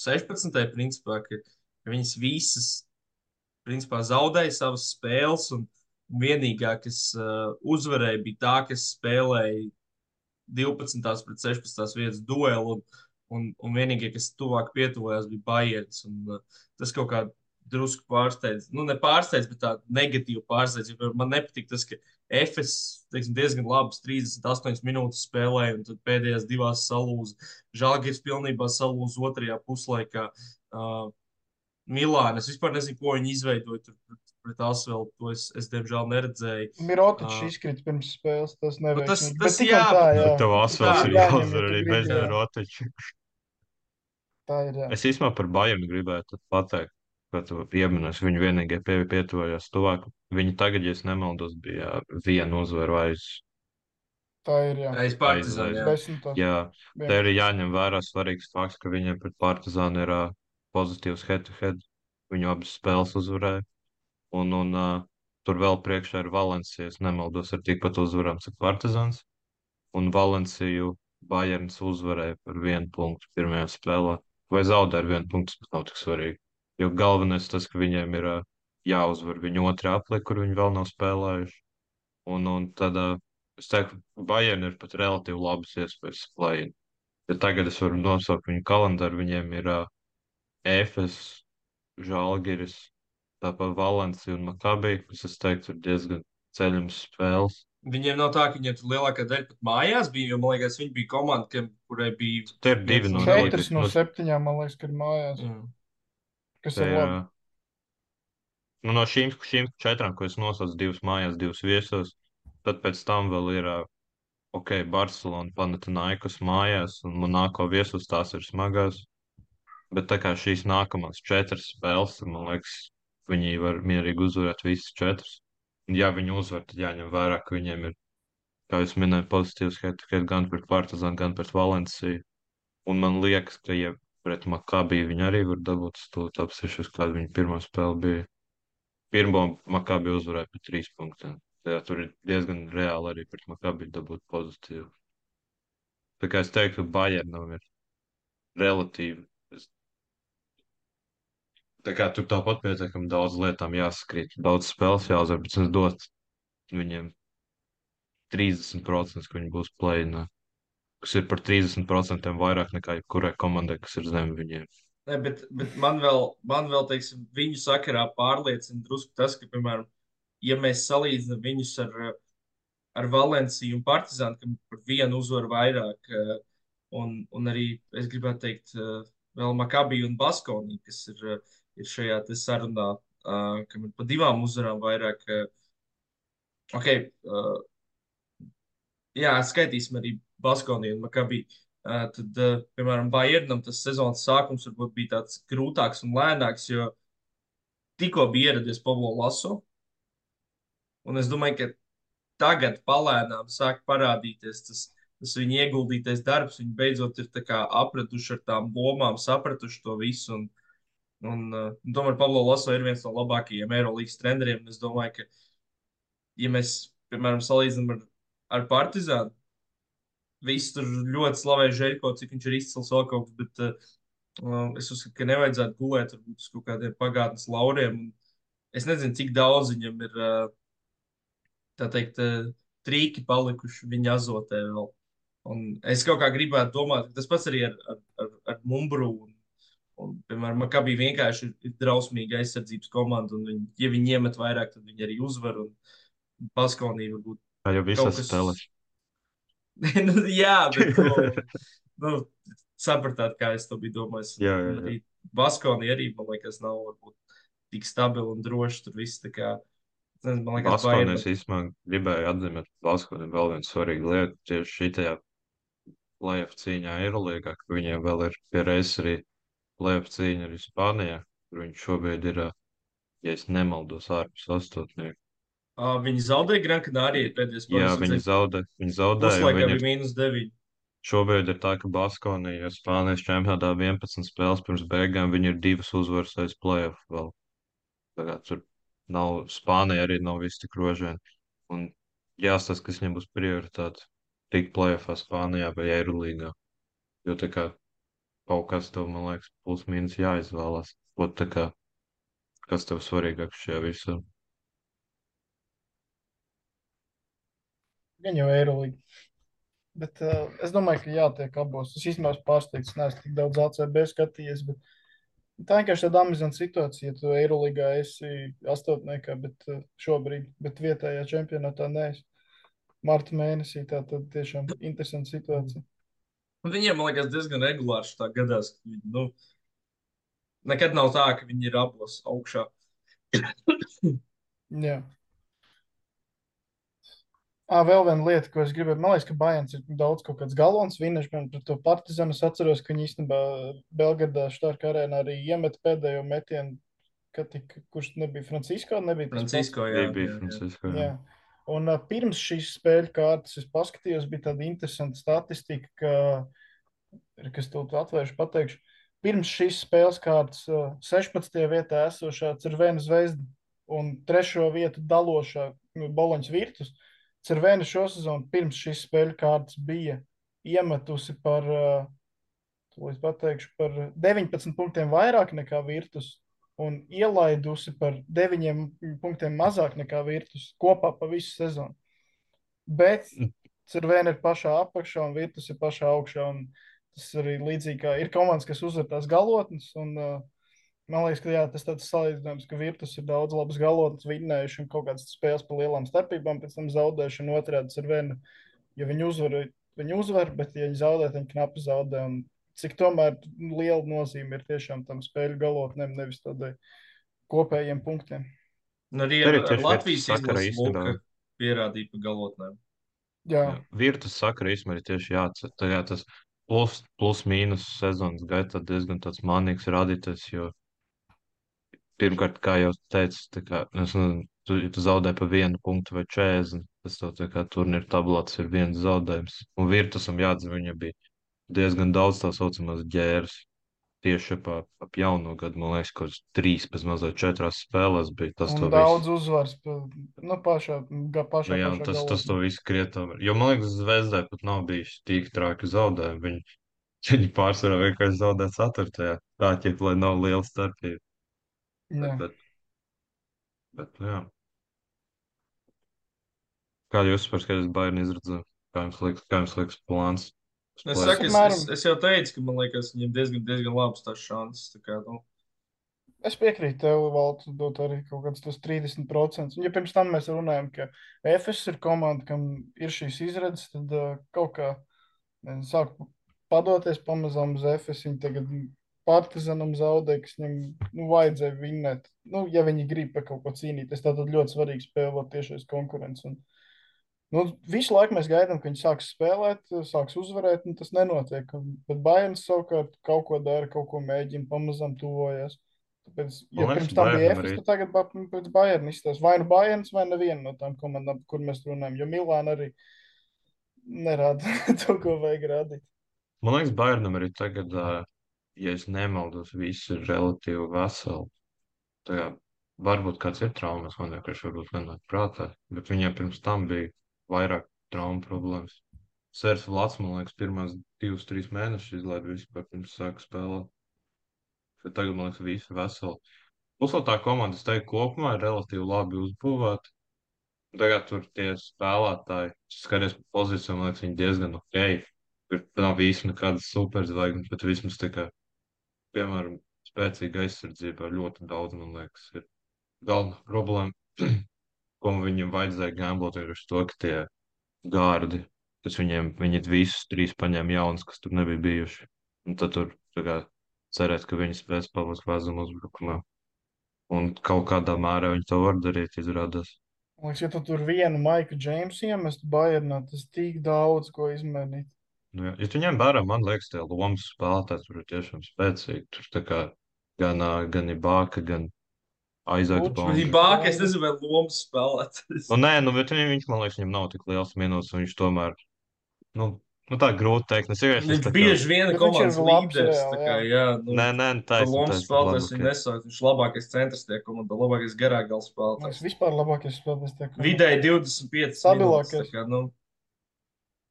16. principā, ka viņas visas principā zaudēja savas spēles, un vienīgā, kas uzvarēja, bija tā, kas spēlēja 12. pret 16. vietas duelu, un vienīgie, kas tuvāk pietuvojās, bija Bayerns. Tas kaut kā drusku pārsteidz, nu ne pārsteidz, bet tā negatīvi pārsteidz. Man nepatīk tas, ka Efes, teiksim, diezgan labas 38 minūtes spēlēja, un tad pēdējās divās salūza. Žalgiris pilnībā salūza otrajā puslaikā. Milāna, es vispār nezinu, ko viņi izveidoja tur pret Asvelu. To es diemžēl neredzēju. Mirotičs izkrita pirms spēles, tas neveiksmīgi. Tas Bet tik jā, un tā, jā. Tev Asvels ir jāņem, jāuzvar ja tu arī gribi, bez jā. Mirotiča. Tā ir, jā. Es īstenībā par Bayernu gribētu pateikt, ka tu pieminēsi, viņu vienīgie pietuvojās tuvāk. Viņi tagad, ja es nemaldos, bija viena uzvara aiz. Tā ir, jā. Aiz Partizānu, jā. 10. Jā, te 11. arī jāņem vērā svarīgs fakts, ka viņiem pret Partizānu ir pozitīvs head-to-head. Viņu abas spēles uzvarēja. Un tur vēl priekšā ir Valencija, es nemaldos, ar tikpat uzvarām, cik Partizāns. Un Valenciju Bayerns uzvarēja par 1 punktu pirmajā spēlē. Vai zaudēja ar 1 punktu, tas nav tik svarīgi. Jo galvenais tas, ka viņiem ir jāuzvar viņu otrā apli, kur viņi vēl nav spēlējuši. Un tad es teiktu, Bayern ir pat relatīvi labas iespējas play-in. Ja tagad es varu nosaukt viņu kalendāru, viņiem ir Efes, Žalgiris, tāpat Valencija un Maccabi, kas es teiktu ir diezgan ceļams spēles. Viņiem nav tā, ka viņiem tur lielākā daļa pat mājās bija, jo, man liekas, viņi bija komanda, kurai bija... Te ir 2 no 4 2. no 7, man liekas, ka ir mājās. Kas ir labi. Nu, no šīm 4, ko es nosaucu, 2 mājās, 2 viesos, tad pēc tam vēl ir ok, Barcelona, Panathinaikos mājās un Monako viesos tās ir smagās. Bet tā kā šīs nākamās 4 spēles, tad, man liekas, viņi var mierīgi uzvarēt visas 4. Un ja viņi uzvar, tad jāņem vērā, ka viņiem ir, kā jūs minējāt, pozitīvs head-to-head gan pret Partizānu, gan pret Valenciju. Un man liekas, ka, ja pret Makabiju viņi arī var dabūt stūri top 6, kāda viņa pirmā spēle bija. Pirmo Makabiju uzvarēja par 3 punktiem. Jā, tur ir diezgan reāli arī pret Makabiju dabūt pozitīvu. Tā kā es teiktu, ka Bayernam ir relatīvi. Tā kā tur tāpat pietiekami daudz lietām jāsakrīt, daudz spēles jāuzvar, bet es dotu viņiem 30%, ka viņi būs play-inā, kas ir par 30% vairāk nekā jebkurai komandai, kas ir zem viņiem. Ne, bet man vēl, teiksim, viņu sakarā pārliecina drusku tas, ka, piemēram, ja mēs salīdzinām viņus ar Valenciju un Partizānu, kam par vienu uzvaru vairāk, un arī, es gribētu teikt, vēl Makabiju un Baskoniju, kas ir šajā te sarunā, kam ir pa 2 uzvarām vairāk. Ok, jā, skaitīsim arī Baskoniju un Makabiju. Tad, piemēram, Bayernam tas sezonas sākums varbūt bija tāds grūtāks un lēnāks, jo tikko bija ieradies Pablo Laso. Un es domāju, ka tagad palēnām sāk parādīties tas viņa ieguldītais darbs. Viņi beidzot ir tā kā apraduši ar tām lomām, sapratuši to visu. Un tomēr Pablo Laso ir viens no labākajiem Eirolandes treneriem. Es domāju, ka, ja mēs, piemēram, salīdzinām ar Partizānu, visi tur ļoti slavē Žēļko, cik viņš ir izcils vēl kaut kas, bet es uzskatu, ka nevajadzētu gulēt varbūt uz kaut kādiem pagātnes lauriem. Un es nezinu, cik daudz viņam ir, tā teikt, trīki palikuši viņa azotē vēl. Un es kaut kā gribētu domāt, ka tas pats arī ar Mumbru. Piemēram, Makabī vienkārši ir drausmīga aizsardzības komanda, un ja viņi iemet vairāk, tad viņi arī uzvar. Un Baskonī varbūt Tā jau kaut visas kas. spēles. Nu, jā, bet nu, sapratāt, kā es to biju domājis. Jā, Un jā, jā. arī Baskonī arī, man liekas, nav varbūt tik stabili un droši. Tur viss tā kā, nezinu, man liekas, Baskonijas Bayernam. īstenībā gribēju atzīmēt Baskoniju vēl vienu svarīgu lietu tieši šitajā playoff cīņā Eirolīgā, ka viņiem vēl ir pie reizes arī playoff cīņa arī Spānijā, kur viņš šobrīd ir, ja es nemaldos, ārpus astotnieku. Viņi zaudēja Gran Canaria pēdējā spēlē. Jā, viņi zaudēja, un Puslaikā viņi bija -9. šobrīd ir tā, ka Baskonija ir Spānijas čempionātā 11 spēles pirms beigām, viņi ir 2 uzvaras aiz playoff vēl. Tā kā tur nav, Spānija arī nav viss tik rožēni. Un jāstāsta, kas viņiem būs prioritāte tikt playoffā Spānijā vai Eirolīgā. Jo tā kā kaut kas tev, man liekas, plus mīnus jāizvēlās. Ot, tā kā, kas tev svarīgāks šajā visā? Gan jau Eirolanda. Bet es domāju, ka jātiek abos. Es īstenībā esmu pārsteigts, neesmu tik daudz ACB skatījies. Tā vienkārši tāda amizanta situācija, ja tu Eirolandā esi astotniekā, bet šobrīd, bet vietējā čempionātā neesi. Marta mēnesī tā tad tiešām interesanta situācija. Un viņiem, man liekas, diezgan regulāri tā gadās. Ka viņi, nu, nekad nav tā, ka viņi ir abos augšā. Jā. Vēl viena lieta, ko es gribēju, man liekas, ka Bajans ir daudz kaut kāds galons vinēš, man par to Partizanu es atceros, ka viņi īstenībā Belgradā Štārka arēnā arī iemet pēdējo metienu, kurš nebija Francisko, nebija tas pats? Francisko, jā. Bija Francisko, jā. Jā. Un pirms šīs spēļu kārtas es paskatījos, bija tāda interesanta statistika, kas to atvēršu pateikšu. Pirms šīs spēles kārtas 16. vietā esošā Cervena Zvezda un 3. vietu dalošā Boloņas Virtus. Cervena šo sezonu pirms šīs spēļu kārtas bija iemetusi par 19 punktiem vairāk nekā Virtus un ielaidusi par 9 punktiem mazāk nekā Virtus kopā pa visu sezonu. Bet Cervena ir pašā apakšā un Virtus ir pašā augšā. Tas arī līdzīgi kā ir komandas, kas uzvar tās galotnes. Man liekas, ka jā, tas tāds salīdzinājums, ka Virtus ir daudz labas galotnes vinnējuši un kaut kādas spēles pa lielām starpībām, pēc tam zaudējuši un otrādi Cervena. Ja viņi uzvar, bet ja viņi zaudē, tad viņi knapi zaudē. Un cik tomēr liela nozīme ir tiešām tam spēļu galotnēm, nevis tādai kopējiem punktiem. Un arī ar Latvijas izlases Luka pierādīja pa galotnēm. Jā, Jā. Virtus sakra īstenībā ir tieši jāatcer. Tagad tas plus mīnus sezonas gaitā diezgan tāds manīgs rādītājs, jo pirmkārt, kā jau teicu, tā kā, ja tu zaudē pa 1 punktu vai 40, tas tev tā kā turnīra tablā tas ir viens zaudējums. Un Virtusam jāatzīst, viņa bija diezgan daudz tā saucamās ģēras. Tieši ap jauno gadu, man liekas, kaut kāds 3, pēc mazliet 4 spēlēs bija tas un to visu. daudz uzvars. Nu, Nu, jā, pašā galā. tas to visu krietām. Jo man liekas, Zvezdai pat nav bijis tik traki zaudējumi. Viņi pārsvarā vienkārši zaudē 4. Tā ķip, lai nav liela starpība. Jā. Bet jā. Kā jūs par skaidrs Bayern izredzējāt? Kā jums liekas plāns? Es saku, Apmēram. es jau teicu, ka man liekas, viņiem diezgan labs tas šanses. Tā kā, nu, Es piekrītu tev, Valts, dot arī kaut kāds tos 30%. Un, ja pirms tam mēs runājam, ka FS ir komanda, kam ir šīs izredzes, tad kaut kā nezinu, sāk padoties pamazām uz FS. Viņi tagad Partizanam zaudēja, kas viņam vajadzēja vinnēt. Nu, ja viņi grib par kaut ko cīnīties, tad ļoti svarīgi spēlēt tiešais konkurence. Un, visu laiku mēs gaidām, ka viņi sāks spēlēt, sāks uzvarēt, un tas nenotiek. Bet Bayerns savukārt kaut ko dara, kaut ko mēģina, pamazām tuvojas. Tāpēc, ja Man liekas, pirms tam bija Bayernam Efes, arī. tad tagad pēc Bayern izstāsta. Vai nu Bayerns, vai neviena no tām komandām, par kur mēs runājam. Jo Milāna arī nerāda to, ko vajag rādīt. Man liekas, Bayernam arī tagad, ja es nemaldos, viss ir relatīvi veseli. Tā kā varbūt kāds ir traumas, man vienkārši varbūt nenāk prātā, bet viņiem pirms tam bija vairāk traumu problēmas. Sērs Vlads, man liekas, pirmās 2-3 mēnešus izlaida vispār pirms sāka spēlēt. Bet tagad, man liekas, visi veseli. Plus vēl tā komanda, es teiktu, kopumā ir relatīvi labi uzbūvēta. Tagad tur tie spēlētāji, skaties pa pozīcijām, man liekas, viņi diezgan ok. Tur nav visi nekādas superzvaigznes, bet vismaz tā kā, piemēram, spēcīga aizsardzība ļoti daudz, man liekas, ir galvenā problēma, ko viņam vajadzēja gamblot, ir uz to, ka tie gārdi, viņi visus 3 paņēma jaunas, kas tur nebija bijuši. Un tad tur tā kā cerēt, ka viņi spēs palikt vēzumu uzbrukumā. Un kaut kādā mērā viņi to var darīt, izrādās. Man liekas, ja tu tur vienu Maiku Džeimsu iemestu Bayernā, tas tik daudz ko izmainīt. Nu, jā. Ja tu ņem vērā, man liekas, tie lomas spēlētāji tur ir tiešām spēcīgi. Tur tā kā gan Ibaka, gan Aizaks Lučs. Bonga. Ibaka, es nezinu, vai lomas spēlēt. Nu, nē, bet viņš, man liekas, viņam nav tik liels minūtes, un viņš tomēr, nu tā grūti teikt. Viņš bieži vien ir Bet viņš ir komandas labs līderis. reāli, Tā kā, jā, nu, Nē, par lomas taisnība. spēlētājs viņu nesauc. Viņš ir labākais centrs tie komandā, labākais garāgals Man spēlētājs. liekas, vispār labākais spēlētājs tiek. Vidēji 25 minūtes. Stabilākais. Tā kā, nu,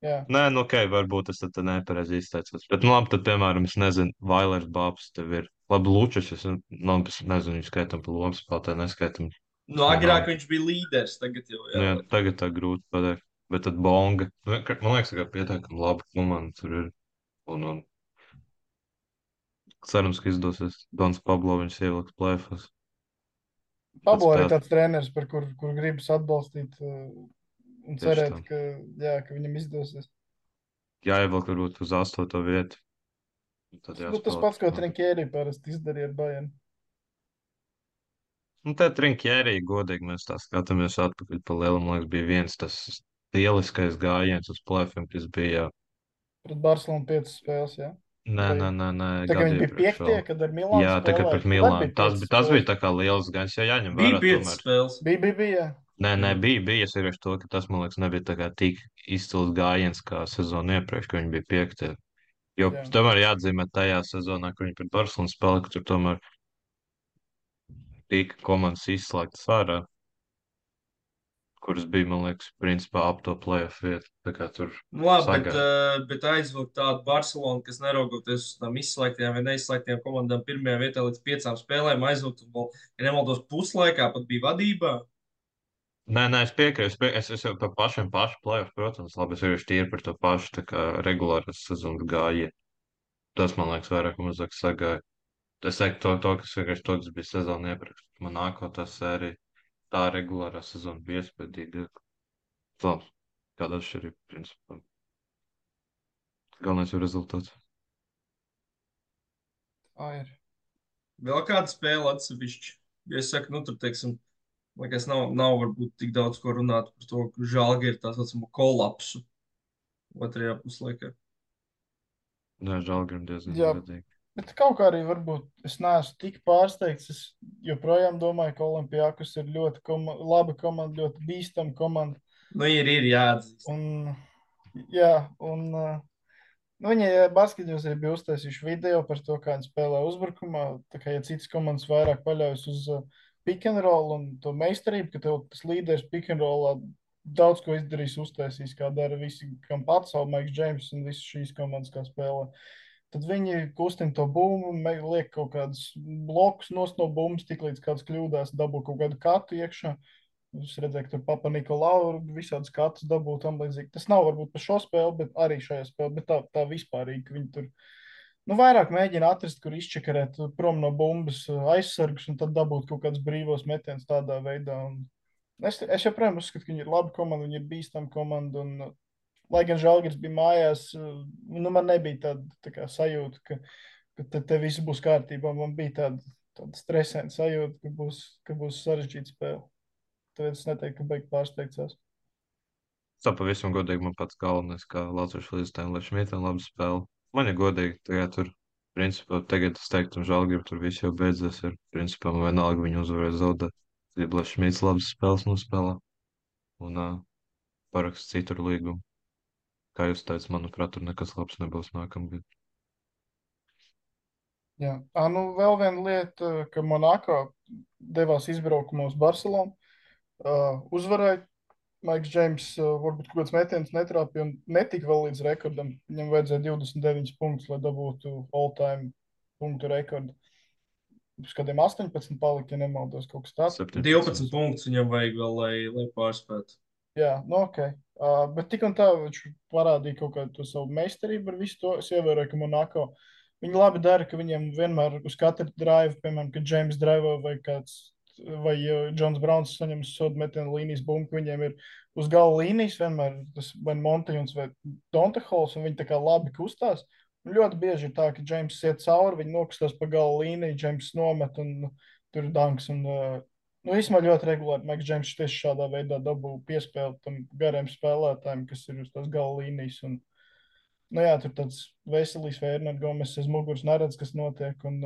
Jā. Nē, nu, ok, varbūt es tad nepareizi izteicos. Bet, nu, labi, tad, piemēram, es nezinu, Vailers Bābs tev ir. Labi, Lučs, es nezinu, viņu skaitam pa lomas spēlētāju, neskaitam. nu agrāk viņš bija līderis, tagad jau, Nu, jā. jā, tagad tā grūti pateikt. Bet tad Bonga, man liekas, ka pietiekami laba komanda tur ir. Un cerams, ka izdosies Dons Pablo viņus ielikt plēfos. Pablo arī tāds treneris, par kur gribas atbalstīt un Tieši cerēt, tā. ka viņam izdosies. Jāievelk varbūt uz 8. vietu. Tad Tas pats, ko Trinkjērī parasti izdarīja ar Bayern. Nu, tā Trinkjērī, godīgi, mēs tā skatāmies atpakaļ pa lielam. Man liekas, bija viens tas lieliskais gājiens uz plēfiem, kas bija. Pret Barcelonu 5 spēles, jā. Nē, Tā kā viņi bija 5, kad ar Milānu Jā, tā kā pret Milānu. Tas bija tā kā liels gājums, jo jāņem Bija vērā 5 tomēr. spēles. Bija. Nē, bija. Es vienkārši to, ka tas, man liekas, nebija tā kā tik izcils gājiens kā sezonu iepriekš, ka viņi bija 5. Jo Jā. tomēr jāatzīmē tajā sezonā, kad viņi pret Barcelonu spēlēja, ka tur tomēr tika komandas izslēgtas ārā, kuras bija, man liekas, principā ap to playoff vietu. Tā kā tur Nu, labi, sagāja. bet aizvilkt tādu Barcelonu, kas neraugoties uz tām izslēgtajām vai neizslēgtajām komandām pirmajā vietā līdz 5 spēlēm, aizvilkt, un vēl, ja nemaldos, puslaikā pat bija vadībā. Nē, es piekrītu. Es jau par pašu playoff, protams, labi, es vienkārši tīri par to pašu tā kā regulāras sezonas gājienu. Tas, man liekas, vairāk un mazāk sagāja. Es teiktu kas vienkārši to, kas bija sezona iepriekš. Man nākotā sērija, tā regulārā sezona bija iespējīga. Labi, kāda atšķirība, principā. Galvenais ir rezultāts. Ir. Vēl kāda spēle atsevišķi. Ja es saku, nu, tur, teiksim, Liekas, nav varbūt tik daudz ko runāt par to, ka Žalgiris ir tā saucamo kolapsu otrajā puslaikā. Nē, Žalgirim diezgan Jā, godīgi. bet kaut kā arī varbūt es neesmu tik pārsteigts. Es joprojām domāju, ka Olimpijākus ir ļoti laba komanda, ļoti bīstama komanda. Nu, ir jāatzīst. Un, jā, un viņi basketbos arī bija uztaisījuši video par to, kā viņi spēlē uzbrukumā. Tā kā ja citas komandas vairāk paļaujas uz pick and roll un to meistarību, ka tev tas līderis pick and rollā daudz ko izdarīs, uztaisīs, kā dara visi, kam pats, Maiks Džeims un visas šīs komandas, kā spēlē. Tad viņi kustina to bumbu, liek kaut kādus blokus no bumbas, tik līdz kāds kļūdās, dabū kaut kādu katu iekšā. Es redzēju, ka tur Papa Nikolau visādas katus dabū tam līdzīgi. Tas nav varbūt par šo spēli, bet arī šajā spēlē, bet tā vispārīgi, ka viņi tur vairāk mēģina atrast, kur izčakarēt prom no bumbas aizsargus un tad dabūt kaut kādus brīvos metienus tādā veidā. Un es joprojām uzskatu, ka viņi ir laba komanda, viņi ir bīstama komanda. Un, lai gan Žalgiris bija mājās, man nebija tāda sajūta, ka te viss būs kārtībā. Man bija tāda stresaina sajūta, ka būs sarežģīta spēle. Tāpēc es neteiktu, ka beigās pārsteigts. Tā pavisam godīgi man pats galvenais, kā Latvijas līdzstājiem, lai Šmitam labi spēlē. Man ir godīgi, tagad tur, principā, tagad es teiktu, un Žalgirim tur viss jau beidzies. Ir, principā, man vienalga viņu uzvarēs zaudēt. Gribu, lai Šmits labas spēles nospēlē un parakst citur līgumu. Kā jūs teicat, manuprāt, tur nekas labs nebūs nākamgad. Jā, vēl viena lieta, ka Monako devās izbraukumā uz Barcelonu. Uzvarēja. Maiks Džeims varbūt kaut kāds metiens netrāpīja un netika vēl līdz rekordam. Viņam vajadzēja 29 punktus, lai dabūtu all-time punktu rekordu. Uz kādiem 18 palika, ja nemaldos, kaut kas tāds. 12 punktus viņam vajag vēl, lai pārspētu. Jā, ok. Bet tik un tā viņš parādīja kaut kādu to savu meistarību ar visu to. Es ievēroju, ka Monako viņi labi dara, ka viņiem vienmēr uz katru drive, piemēram, kad Džeims drive vai kāds vai Džons Brauns saņem sodu metienu līnijas bumbu, viņiem ir uz gala līnijas vienmēr tas vai Montejuns vai Dontehols, un viņi tā kā labi kustās. Un ļoti bieži ir tā, ka Džeims iet cauri, viņi nokustās pa gala līniju, Džeims nomet un tur ir danks. Un, īsumā ļoti regulāri Maiks Džeims tieši šādā veidā dabū piespēli tam gariem spēlētājiem, kas ir uz tās gala līnijas. Un, jā, tur tāds veselīgs vai Ernest Gomes aiz muguras neredz, kas notiek. Un,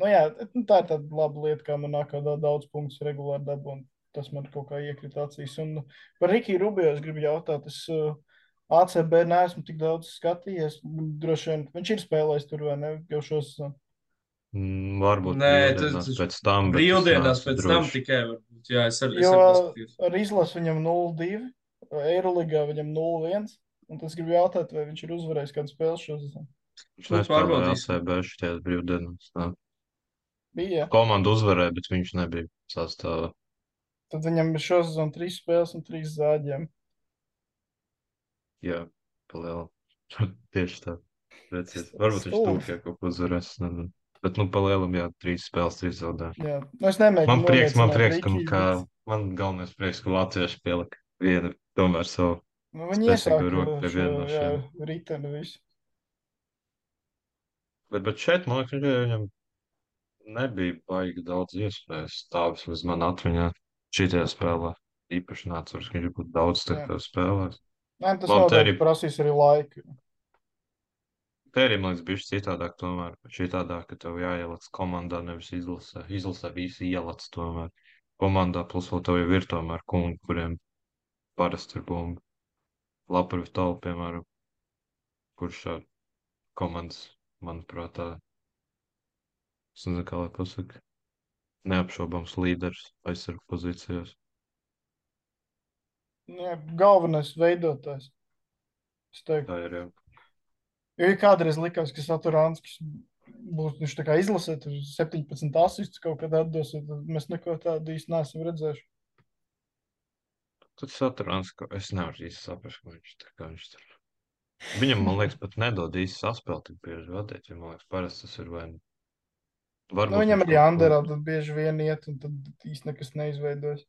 jā, tā ir tāda laba lieta, kā man nāk daudz punktus regulāri dabū, un tas man kaut kā iekrita acīs. Un par Rikiju Rubio es gribu jautāt, es ACB neesmu tik daudz skatījies, droši vien viņš ir spēlējis tur vai ne, jau šos. Varbūt Nē, brīvdienās pēc tam, bet brīvdienās pēc tam droši. tikai varbūt, jā, es arī Jo paskatījos. ar izlasu viņam 0-2, Eiroligā viņam 0-1, un tas gribu jautāt, vai viņš ir uzvarējis kādu spēli šo sezonu. Viņš nespēlēja Pārbaudīsim. ACB šķiet brīvdienās. Bija, jā. Komanda uzvarēja, bet viņš nebija sastāvā. Tad viņam ir šo sezonu 3 spēles un 3 zāģiem. Jā, palielu. Tieši tā. Precīzi. Varbūt viņš Stulbi. tūkē kaut ko uzvarēs. Nezinu. Bet, palielam, jā, 3 spēles, 3 zaudējumu. Jā, es nemēģinu Man prieks, nomiecināt ka Rikiju, man galvenais prieks, ka latvieši pielika vienu tomēr savu. viņi spēcīgu iesāka roku pie viena no jā, šiem. riteni visu. Bet šeit, man liekas, viņam nebija baigi daudz iespējas. Tā vismaz man atmiņā šitajā spēlē. Īpaši nācās, ka viņš būtu daudz Jā. spēlēs. Nē, tas Labi, te noteikti arī- prasīs arī laiku. Te arī, man liekas, bija citādāk tomēr. Šitādāk, ka tev jāieliec komandā, nevis izlasē. Izlasē visi ieliec tomēr. Komandā plus vēl tev jau ir tomēr kungi, kuriem parasti ir bumba. Laparu Talu, piemēram, kurš komandas, manuprāt, es nezinu, kā lai pasaka, neapšaubāms līderis aizsargu pozīcijās. Jā, galvenais veidotājs. Es teiktu, Tā ir jau. jo ja kādreiz likās, ka Saturānskis būs viņš tā kā izlasē, tur 17 asistus kaut kad atdos, tad mēs neko tādu īsti neesam redzējuši. Tad Saturāns, es nevaru īsti saprast, ko viņš tur. Viņam, man liekas, pat nedod īsti saspēli tik bieži vadīt, jo, man liekas, parasti tas ir vai nu. Varbūt Viņam viņš arī kaut ko- Anderā tad bieži vien iet, un tad īsti nekas neizveidojas.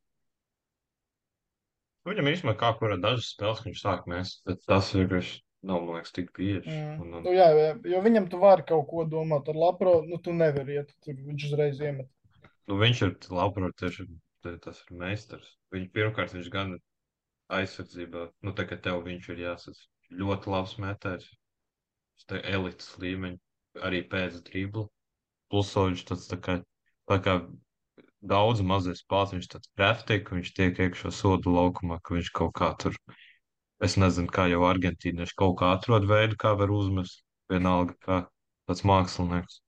Viņam īstenībā kā kurā dažas spēles, ka viņš sāk mest, bet tas vienkārši nav, man liekas, tik bieži. Un, Jā, jo viņam tu vari kaut ko domāt ar Lapro, tu nevari iet, tur viņš uzreiz iemet. viņš ir labprāt tieši tas ir meistars. Pirmkārt, viņš gan aizsardzībā, nu, tā kā tev viņš ir jāsaka, ļoti labs metējs. Tas ir elites līmeņa, arī pēc dribla. Plus viņš tāds tā kā daudz mazais spēks, viņš tāds kraftīgs, ka viņš tiek iekšā sodu laukumā, ka viņš kaut kā tur, es nezinu, kā jau argentīnieši kaut kā atrod veidu, kā var uzmest. Vienalga, kā tāds mākslinieks.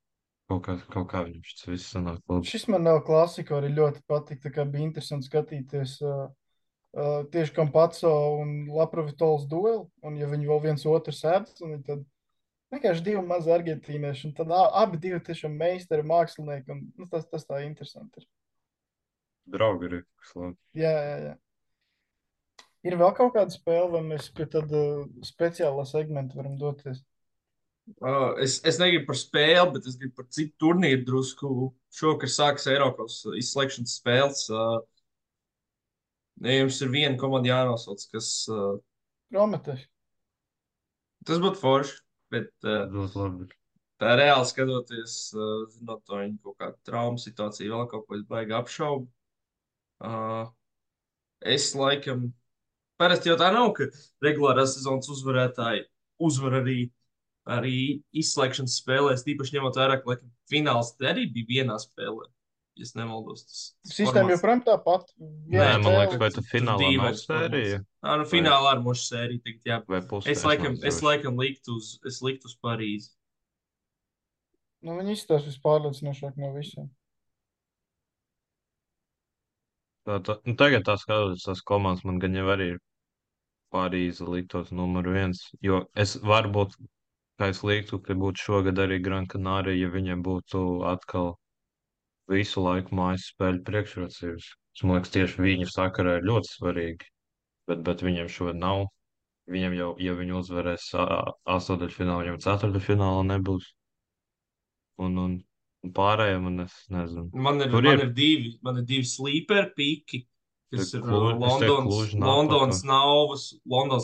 Kaut kā viņam šis viss sanāk labi. Šis man nav klasika, arī ļoti patīk. Tā kā bija interesanti skatīties tieši Kampaco un Laprovitols dueli. Un ja viņi vēl viens otru sēdz, tad vienkārši divi mazi argentīnieši. Un tad abi divi tiešām meistari, mākslinieki. Un, nu, tas tā interesanti ir. Draugi arī, kas labi. Jā, jā, jā. Ir vēl kaut kāda spēle, vai mēs pie tāda speciālā segmenta varam doties? Es negribu par spēli, bet es gribu par citu turnīru drusku. Šovakar sākas Eiropas izslēgšanas spēles. Ja jums ir viena komanda jānosauc, kas Prometēs. tas būtu forši, bet Ļoti labi. tā reāli skatoties, zinot to viņa kaut kādu traumu situāciju, vēl kaut ko es baigi apšaubu. Es laikam, parasti jau tā nav, ka regulārās sezonas uzvarētāji uzvar arī izslēgšanas spēlēs, tīpaši ņemot vērā, ka laikam, fināls arī bija vienā spēlē. Ja es nemaldos, tas Sistēma formāts. joprojām tāpat. Nē, man liekas, vai tu finālā nav dīvains sērija? Nu finālā ar mošu sēriju tagad, jā. Vai pusē? Es laikam liktu uz Parīzi. Nu, viņi izstāsta vispārliecinošāk no visiem. Nu, tagad tā skatoties, tās komandas man gan jau arī ir Parīze liktos numur viens, jo es varbūt, kā es liktu, ka būtu šogad arī Gran Canaria, ja viņiem būtu atkal visu laiku mājas spēļu priekšrocības. Man liekas, tieši viņu sakarā ir ļoti svarīgi, bet viņiem šo nav. Viņam jau, ja viņi uzvarēs astoņdaļfinālā, viņam ceturdaļfinālā nebūs. Un pārējiem, un es nezinu. Man ir divi sleeper pīki, kas ir Londonas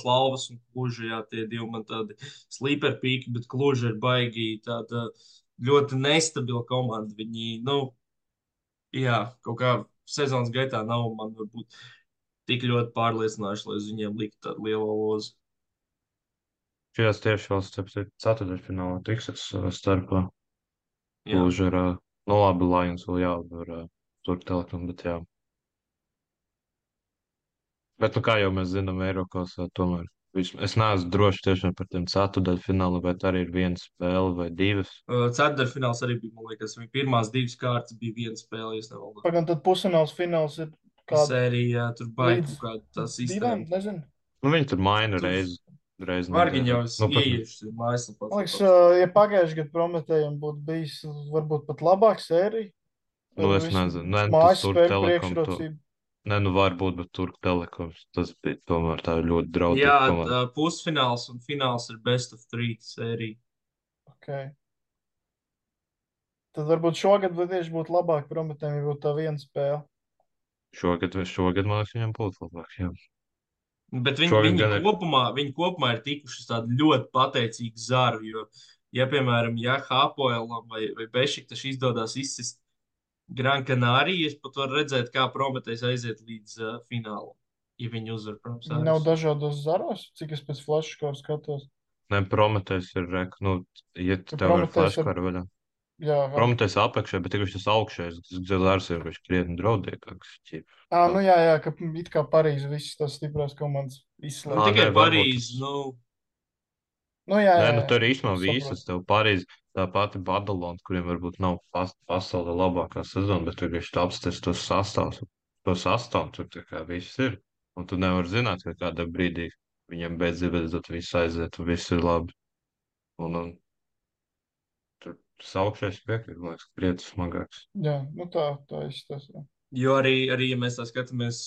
Lavas un Kluža, jā, tie divi man tādi sleeper pīki, bet Kluža ir baigi tāda ļoti nestabila komanda. Viņi, jā, kaut kā sezonas gaitā nav man varbūt tik ļoti pārliecinājuši, lai uz viņiem liktu tādu lielu lozu. Šajās tieši vēl ceturdaļfinālā tiksies starpā. Kluža ir, labi, Lions vēl jāuzvar Turku Telekom, bet jā. Bet, kā jau mēs zinām, Eiropas tomēr. Es neesmu drošs tiešām par tiem ceturdaļfināliem, bet arī ir viena spēle vai divas. Ceturdaļfināls arī bija, man liekas, viņa pirmās divas kārtas bija viena spēle, ja nemaldos. Pagaidām, tad pusfināls fināls ir kāda sērija, tur baigi kaut kāda tā divām, sistēma. nezinu. Nu, viņi tur maina reizi. Vargiņ jau ieiešas mājaslapā. Man liekas, ja pagājuši gadu Prometējiem būtu bijis varbūt pat labāk sērija. Nu, es nezinu. Nē, Mājas tas Turku spēļu Telekom. priekšrocība. Nē, nu varbūt, bet Turku Telekoms. Tas bija tomēr tā ļoti draudzīga Jā, komanda. pusfināls un fināls ir best of three sērija. Okay. Tad varbūt šogad tieši būtu labāk Prometējiem, ja būtu tā viena spēle. Šogad man liekas, viņam būtu labāk, jā. Bet Šogad viņi gan ir- kopumā ir tikuši uz tādu ļoti pateicīgu zaru, jo, ja, piemēram, Hapoelam vai Bešiktaš izdodas izsist Gran Canaria, es pat varu redzēt, kā Prometējs aiziet līdz finālam, ja viņi uzvar, protams. Viņi nav dažādos zaros, cik es pēc flashkāru skatos. Nē, Prometējs ir, ja tev ir Prometējs flashkara vaļā. Jā, Prometējs apakšē, bet tikai tas augšējais, tas zars ir krietni draudīgāks. nu jā, ka it kā Parīze visas tās stiprās komandas izslēdz. Tikai nē, varbūt Parīzi, Nu jā, Nē, nu tur īstenībā saprotu. visas tev Parīz, tā pati Badalona, kuriem varbūt nav pasaulē labākā sezona, bet tur viņš apstāst tos sastāvus. To sastāvu tur tā kā viss ir. Un tu nevari zināt, ka kādā brīdī viņam beidzot viss aiziet un viss ir labi. Un tur tas augšējais piekrīt, man liekas, krietni smagāks. Jā, nu tā izstāsta. Jā. jo arī, ja mēs tā skatāmies,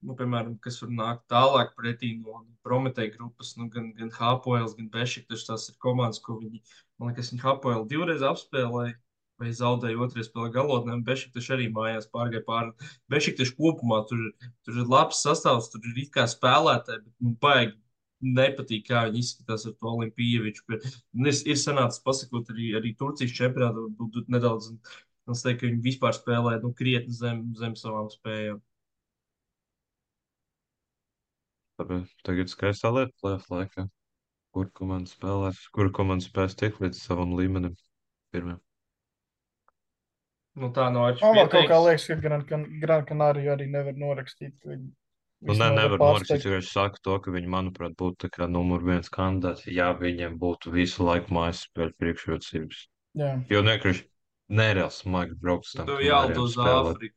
piemēram, kas var nākt tālāk pretī no Prometēja grupas, gan Hapoels, gan Bešiktaš, tās ir komandas, ko man liekas, viņi Hapoelu divreiz apspēlēja, vai zaudēja otrajā spēlē galotnē, un Bešiktaš arī mājās pārgāja pāri. Bešiktaš kopumā tur ir labs sastāvs, tur ir it kā spēlētāji, bet baigi nepatīk, kā viņi izskatās ar to Olimpieviču. Ir sanācis pasakot arī Turcijas čempionātu, varbūt nedaudz Es teiktu, ka viņi vispār spēlē krietni zem savām spējām. Tagad skaistā lieta plēf laikā. Kur komanda spēlēs, kur komanda spēs tikt līdz savam līmenim pirmiem. Tā nav Man vēl kaut kā atšķirīga. liekas, ka Gran Canaria arī nevar norakstīt. Nevar norakstīt, jo es saku to, ka viņi, manuprāt, būtu tā kā numur viens kandidāts, ja viņiem būtu visu laiku mājas spēļu priekšrocības. Jā. Jo vienkārši nereāli smagi braukt uz tam Tev Kanārijām jālido uz spēlēt. Āfriku.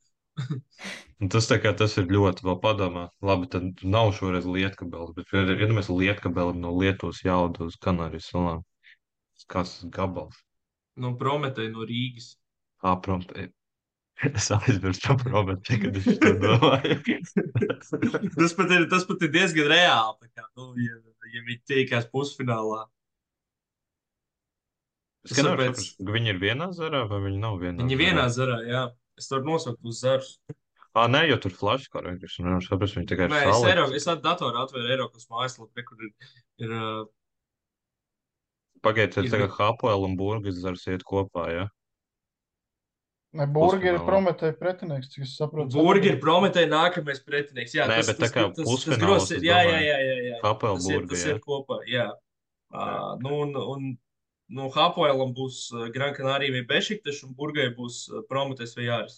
Un tas ir ļoti vēl padomā. Labi, tad nav šoreiz Lietkabeli, bet, ja mēs Lietkabelim no Lietuvas jālido uz Kanārijas salām, kas gabals? Prometēji no Rīgas. Es aizmirsu par Robertu, kad es to domāju. tas pat ir diezgan reāli. Tā kā, ja viņi tiekās pusfinālā. Es nevaru saprast, ka viņi ir vienā zarā vai viņi nav vienā Viņi zarā. vienā zarā, jā. Es varu nosaukt uz zarus. Nē, jo tur flashkār vienkārši nevaru saprast, viņi tikai ir Nē, salikti. es datorā atvēru Eiropas mājaslapu, kur ir Pagaidiet, tagad Hapoel un Burgas zars iet kopā, ja? Ne, Burgi ir Pusfinālā. Prometēja pretinieks, cik es saprotu. Burgi ir Prometēja nākamais pretinieks. Jā, Nē, bet tā kā pusfināls, es jā. Hapoel Tas Burga, ir kopā, jā. Hapoelam būs Gran Canaria vai Bešiktaš, un Burgai būs Prometējs vai Jāris.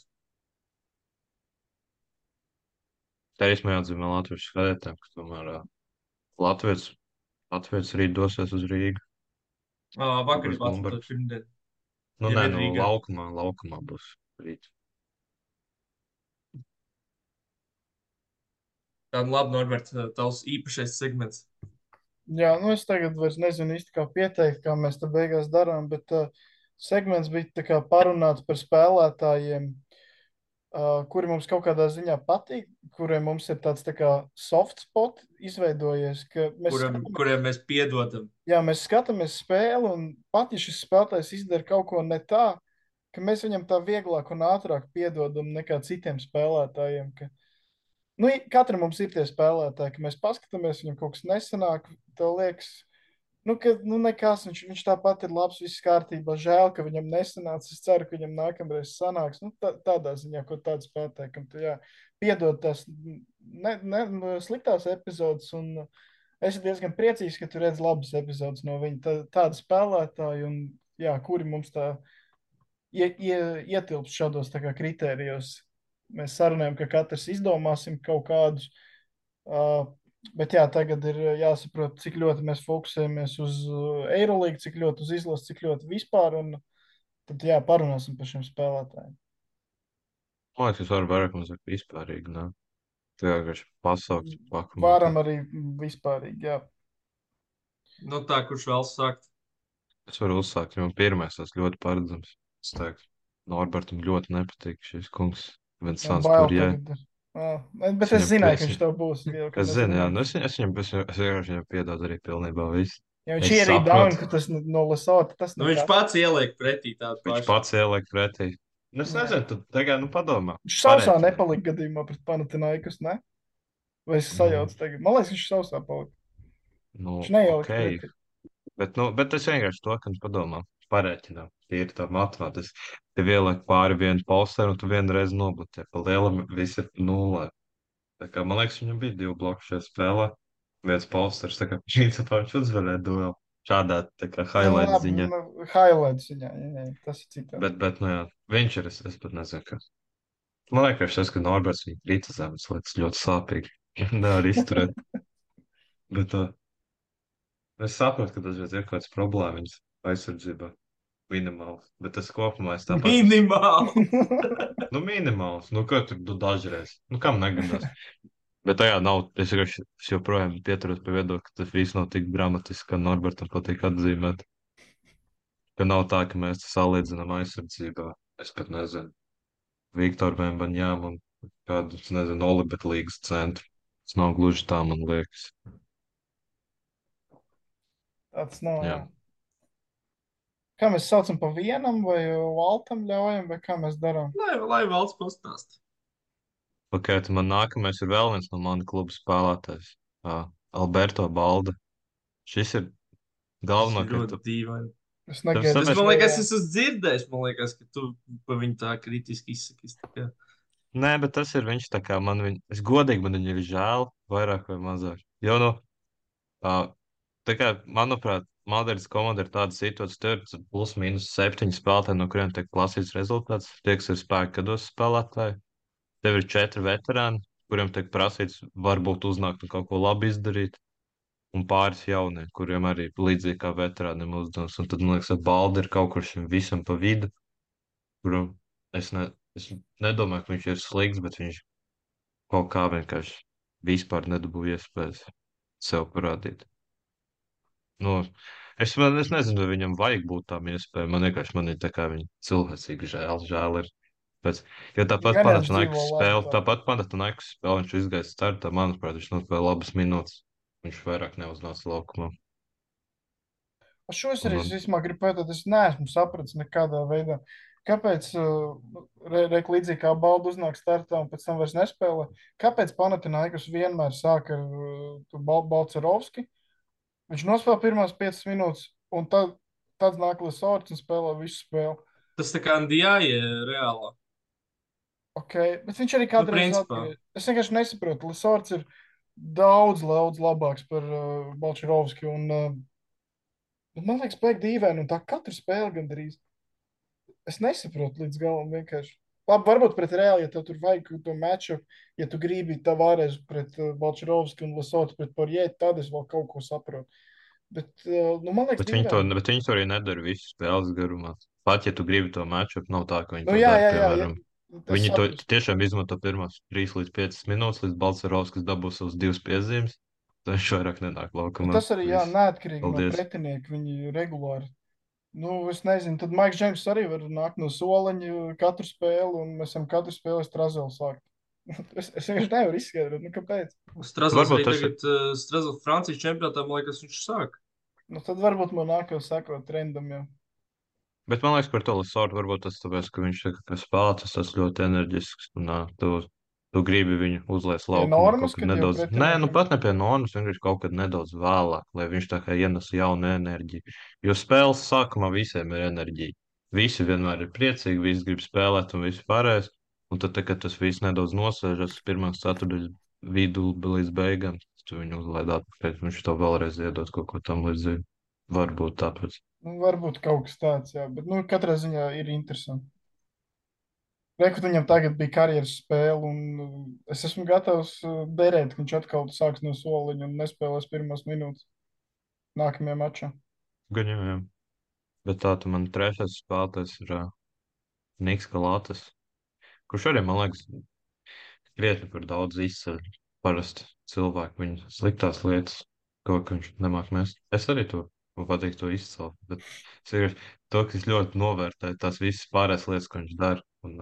Tā īstenībā jāatzīmē latviešu skatītājiem, ka tomēr Latvijas rīt dosies uz Rīgu. Vakar Būs ir Latvijas Blumbergs. pirmdien. Nē, Rīgā. laukumā būs rīt. Tāda labi, Norbert, tavs īpašais segments. Jā, es tagad vairs nezinu īsti, kā pieteikt, kā mēs te beigās darām, bet segments bija tā kā parunāts par spēlētājiem, kuri mums kaut kādā ziņā patīk, kuriem mums ir tāds tā kā soft spot izveidojies, ka kuriem mēs piedodam. Jā, mēs skatāmies spēli, un pat ja šis spēlētājs izdara kaut ko ne tā, ka mēs viņam tā vieglāk un ātrāk piedodam nekā citiem spēlētājiem. Katram mums ir tie spēlētāji, ka mēs paskatāmies, viņam kaut kas nesanāk, tev liekas, ka nekas, viņš tāpat ir labs, viss kārtībā, žēl, ka viņam nesanāca, es ceru, ka viņam nākamreiz sanāks, tādā ziņā, ko tādu spēlētāju, kam tu, piedod tās sliktās epizodes, un es diezgan priecīgs, ka tu redz labas epizodes no viņa, tāda spēlētāja, un kuri mums tā ietilps šādos tā kā kritērijos. Mēs sarunājam, ka katrs izdomāsim kaut kādus, bet tagad ir jāsaprot, cik ļoti mēs fokusējamies uz Eirolīgu, cik ļoti uz izlasi, cik ļoti vispār, un tad parunāsim par šiem spēlētājiem. Man liekas, es varu vairāk mazāk vispārīgi, ne? Tā vienkārši pasaukt, pakomentēt. Varam arī vispārīgi, jā. Tā, kurš vēlas sākt? Es varu uzsākt, jo pirmais tas ļoti paredzams. Es teiktu, Norbertam ļoti nepatīk šis kungs. Vincents Kurjē. Bet es zināju, ka viņš tev būs. Es zinu, jā. Es viņam piedodu arī pilnībā visu. Ja viņš ir arī down, ka tas no Lesota, tas viņš pats ieliek pretī tādu pašu. Viņš pats ieliek pretī. Es nezinu, tu tagad, padomā. Viņš sausā nepalika gadījumā pret Panathinaikos, ne? Vai es sajaucu tagad? Man liekas, viņš sausā palika. Viņš neielika pretī. Bet es vienkārši to, ka padomā. Parēķinām. Ir tā matemātiski. Tev ieliek pāri vienu posteru, un tu vienreiz nobloķē. Pa lielam viss ir nullē. Tā kā, man liekas, viņam bija 2 bloku šajā spēlē. Viens posters, tā kā principā viņš uzvarēja duelu. Šādā, tā kā highlight ziņā. Highlight ziņā, jā, tas ir citā. Bet, viņš ir, es pat nezinu, kas. Man liekas, ka Norberts viņu kritizē, tas liekas ļoti sāpīgi. Nevar izturēt. Bet es saprotu, ka tas ir kaut kāds problēmas aizsardzībā. Minimāls. Bet tas kopumā es tāpat. Minimāls! Minimāls. Ko tur dažreiz? Kam negadās? Bet tajā nav. Es joprojām pieturos pie viedokļa, ka tas viss nav tik dramatiski, kā Norbertam patīk atzīmēt. Ka nav tā, ka mēs salīdzinām aizsardzībā. Es pat nezinu. Viktoru Vembaņām un kādu, nezinu, Olibet līgas centru. Tas nav gluži tā, man liekas. Tāds nav, jā. Kā mēs saucam pa vienam, vai Valtam ļaujam, vai kā mēs darām? Lai Valts pastāst. Ok, tad man nākamais ir vēl viens no mani kluba spēlētājs. Alberto Balda. Šis ir galvenokārt. Ļoti dīvaini. Es Tāpēc, negaidu, Es tāpēc, man liekas, jā. es esmu dzirdējis, man liekas, ka tu par viņu tā kritiski izsakies. Tā kā. nē, bet tas ir viņš tā kā es godīgi man viņu ir žēl, vairāk vai mazāk. Jo, nu, ā, tā kā, manuprāt, Madrids komanda ir tāda situācija, tur ir plus mīnus 7 spēlētāji, no kuriem tiek prasīts rezultāts. Tie, kas ir spēki, kad dos spēlētāji. Tev ir 4 veterāni, kuriem tiek prasīts varbūt uznākt un kaut ko labi izdarīt. Un pāris jaunie, kuriem arī līdzīgi kā veterāniem uzdevums. Un tad, man liekas, ka Baldi ir kaut kur šim visam pa vidu, kuram es nedomāju, ka viņš ir slikts, bet viņš kaut kā vienkārši vispār nedabūja iespējas sev parādīt. Nu, es nezinu, vai viņam vajag būt tām iespējām. Man vienkārši man ir tā kā viņa cilvēcīgi žēl ir. Pēc, jo tāpat Gan jau viņš dzīvo Panathinaikos labi spēle, tā. tāpat Panathinaikos spēle, viņš izgāja startā, manuprāt, viņš nospēlēja labas minūtes. Viņš vairāk neuznāca laukumā. Par šo es Un, arī un, īstenībā gribu pateikt, es neesmu sapratis nekādā veidā. Kāpēc, līdzīgi kā Baldu uznāk startā un pēc tam vairs nespēlē, kāpēc Panathinaikos vienmēr sāk ar Balcerovski? Viņš nospēlē pirmās 5 minūtes, un tad nāk Lesorts un spēlē visu spēli. Tas tā kā Ndijāja reālā. Okay. Bet viņš arī Nu, kādreiz principā. atgriežas. Es vienkārši nesaprotu. Lesorts ir daudz, daudz labāks par Balčarovski. Man liekas, pēc dīvaini, un tā katru spēli gandrīz. Es nesaprotu līdz galam vienkārši. Labi, varbūt pret Reāli, ja tev tur vajag to matču, ja tu gribi Tavares pret Balčarovski un Lesorts pret Porjē, tad es vēl kaut ko saprotu. Bet, nu, man liekas, dīvaini. bet viņi to arī nedara visu spēles garumā. Pat ja tu gribi to matču, nav tā, ka viņi Nu, to jā, dara, jā, jā, jā. piemēram. Es Viņi to saprotu. tiešām izmanto pirmās 3 līdz 5 minūtes, līdz Balcerovskis dabūs savus 2 piezīmes. Tad viņš vairāk nenāk Bet laukumā. tas arī, jā, Viss. neatkarīgi no Paldies. pretinieka. Viņi regulāri. Nu, es nezinu, tad Maiks Džeims arī var nākt no soliņa katru spēli, un mēs esam katru spēli Strazelu sākt. Es vienkārši nevaru izskaidrot, nu kāpēc. Strazels Varbūt arī tas ir. tagad, Strazels Francijas čempionātā, man liekas, viņš sāk. Nu, tad varbūt man nākamā sekot trendam jau. Bet man liekas, par to Lisordu varbūt tas tāpēc, ka viņš ir kā spēlētājs, tas ļoti enerģisks. Un, tu gribi viņu uzliest Pie laukumā normas, kaut kad kad jau nedaudz. Nē, nu pretiniekam. pat ne pie normas, vienkārši kaut kad nedaudz vēlāk, lai viņš tā kā ienes jaunu enerģiju. Jo spēles sākumā visiem ir enerģija. Visi vienmēr ir priecīgi, visi grib spēlēt un viss pārējais. Un tad, kad tas viss nedaudz nosēžas pirmās ceturdaļas vidū līdz beigām, tu viņu uzlaid atpakaļ, viņš to vēlreiz iedod kaut ko tam līdzīgu. Varbūt tāpēc. Nu, varbūt kaut kas tāds, jā. Bet, nu, katrā ziņā ir interesanti. Reikot, viņam tagad bija karjeras spēle, un es esmu gatavs derēt, ka viņš atkal sāks no soliņa un nespēlēs pirmās minūtes nākamajā mačā. Gan jau, jā. Bet tā tu man trešais spēlētājs ir Niks Kalātas, kurš arī, man liekas, krietni par daudz izceļ parasti cilvēku viņa sliktās lietas, ko ka viņš nemāk mest. Es arī to, man patīk to izcelt, bet es vienkārši to, ka es ļoti novērtēju tās visas pārējās lietas, ko viņš dara, un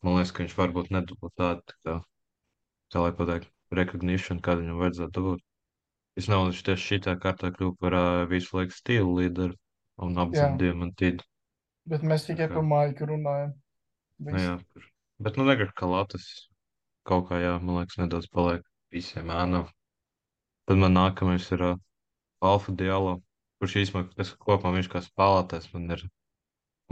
man liekas, ka viņš varbūt nedabū tādu, kā lai pateikt, recognition, kādu viņam vajadzētu dabūt. Es nezinu, viņš tieši šitā kārtā kļuva par visu laiku stilu līderu un Jā, apzina diamantīdu. bet mēs Tā tikai kā, par Maiku runājam. nu Viss. jā, bet nu negribu, ka Latvijas kaut kā, jā, man liekas, nedaudz paliek visiem ēnām. Tad man nākamais ir Alfa Diallo, kurš īstenībā, es kopumā viņš kā spēlētājs, man ir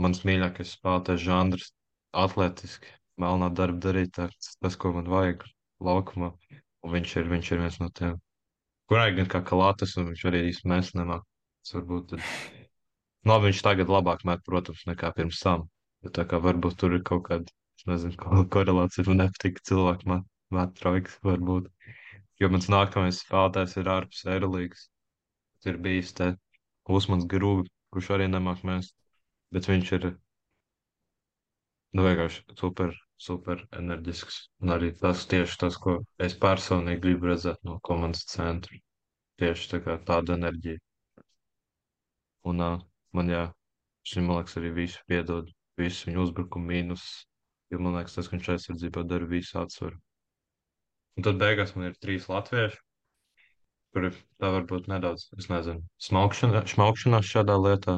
mans mīļākais spēlētājs žanrs, atletiski, melnā darba darītājs, tas, ko man vajag laukumā. Un viņš ir viens no tiem. Kurai gan kā Kalātas, un viņš arī īsti mēs nemāk. Tas varbūt tad. Nu, labi, viņš tagad labāk met, protams, nekā pirms tam. Bet tā kā varbūt tur ir kaut kāda, es nezinu, korelācija, man nepatīk cilvēku met trojkas, varbūt. Jo mans nākamais spēlētājs ir ārpus Eirolīgas. Ir bijis te Usmans Grūvi, kurš arī nemāk mest. Bet viņš ir, nu, vienkārši super, super enerģisks. Un arī tas tieši tas, ko es personīgi gribu redzēt no komandas centra. Tieši tā kā tāda enerģija. Un man, jā, šim, man liekas, arī visu piedod, visu viņu uzbrukumu mīnus. Jo man liekas, tas, ka viņš aizsardzībā dara visu atsvaru. Un tad beigās man ir 3 latvieši, kuri tā varbūt nedaudz, es nezinu, šmaukšanās šādā lietā.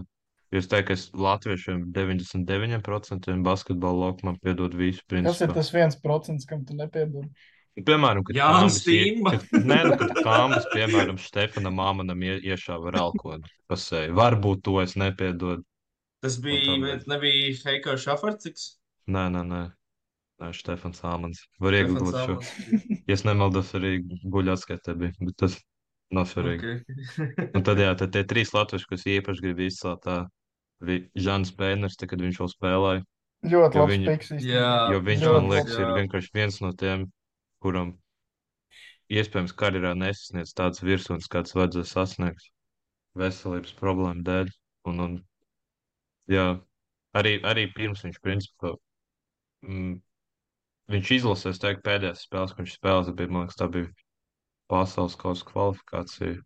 Jo es teiktu, ka es latviešiem 99% basketbola laukumā piedod visu Kas ir principā. tas 1%, kam tu nepiedod? Piemēram, kad Jānis Kambis, Timba. kad Kambis, piemēram, Stefanam Māmanam iešāva ralkodu pasēju. Varbūt to es nepiedodu. Tas Un tam bija, līdz. nebija Heiko Šafarciks. Nē, Štefans Āmans. Var Stefans iegūt šo. Almans. Ja es nemaldos, arī guļatskaitē bija, bet tas nav svarīgi. Un tad, jā, tad tie 3 latvieši, kas īpaši grib izcelt, tā Žans Pēners, kad viņš vēl spēlēja. Ļoti Jo labs viņu- piks Jā, īstenībā. Jo viņš, Ļoti man liekas, labs. ir vienkārši viens no tiem, kuram iespējams karjerā nesasniedz tāds virsotnes, kāds vajadzēja sasniegt veselības problēmu dēļ. Un jā, arī pirms viņš, principā, viņš izlasēs, teiktu, pēdējās spēles, ko viņš spēlēs, bija, man liekas, tā bija pasaules kausa kvalifikācija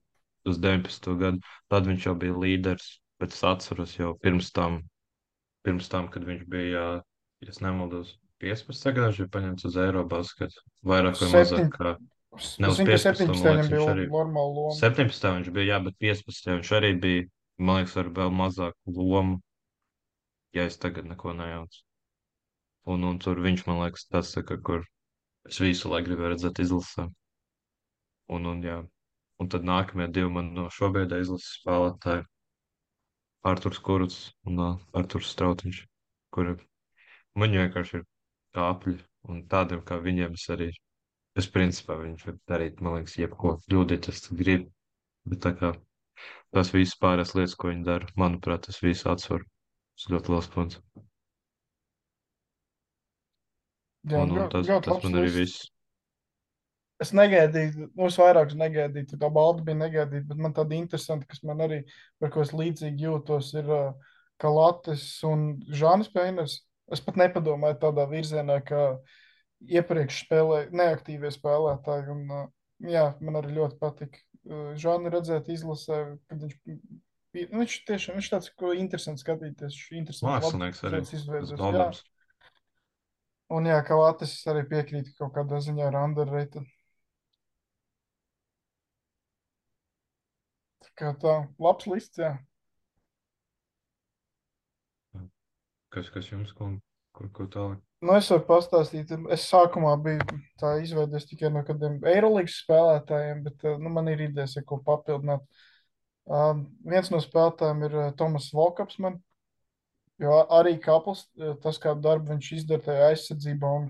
uz 19. gadu. Tad viņš jau bija līderis, bet es atceros jau pirms tam, kad viņš bija, ja es nemaldos, 15. gadā viņš bija paņemts uz Eirobasketu. Vairāk vai mazāk, kā ne uz Es zinu, ka 15. 17. man liekas, viņam viņš bija arī. normāla loma. 17. viņš bija, jā, bet 15. viņš arī bija, man liekas, ar vēl mazāku lomu, ja es tagad neko nejaucu. Un tur viņš, man liekas, tāds, tā, kur es visu laiku gribēju redzēt izlasē. Jā. Un tad nākamie 2 man no šobrīd izlases spēlētāji - Arturs Kurucs un Arturs Strautiņš, kuri man vienkārši ir kāpļi, un tādiem kā viņiem es principā viņš var darīt, man liekas, jebko kļūdīties, tad grib, bet tā kā tas viss pārējās lietas, ko viņi dara, manuprāt, tas viss atsver. Tas ļoti liels punkts. Jā, Un tas ļoti labs man arī lists. viss. Es negaidīju, es vairāk negaidīju, tā kā balda bija negaidīta, bet man tāda interesanta, kas man arī, par ko es līdzīgi jūtos, ir Kalates un Žānis Pēners. Es pat nepadomāju tādā virzienā, kā iepriekš spēlēja neaktīvie spēlētāji. Un, jā, man arī ļoti patika Žāni redzēt izlasē, kad viņš tiešām, viņš tāds, ko interesanti skatīties, viņš interesanti Mākslinieks arī. lietas izveidos. Jā. Doldams. Un jā, Kalates arī piekrīt kaut kādā ziņā ar underrated. Kā tā, labs lists, jā. Kas jums, ko tālāk? Nu, es varu pastāstīt. Es sākumā biju tā izveidojies tikai no kādiem Eirolandes spēlētājiem, bet man ir idejas, ko papildināt. Viens no spēlētājiem ir Tomas Volkaps. Jo arī Kapls, tas, kādu darbu viņš izdara tajā aizsardzībā, un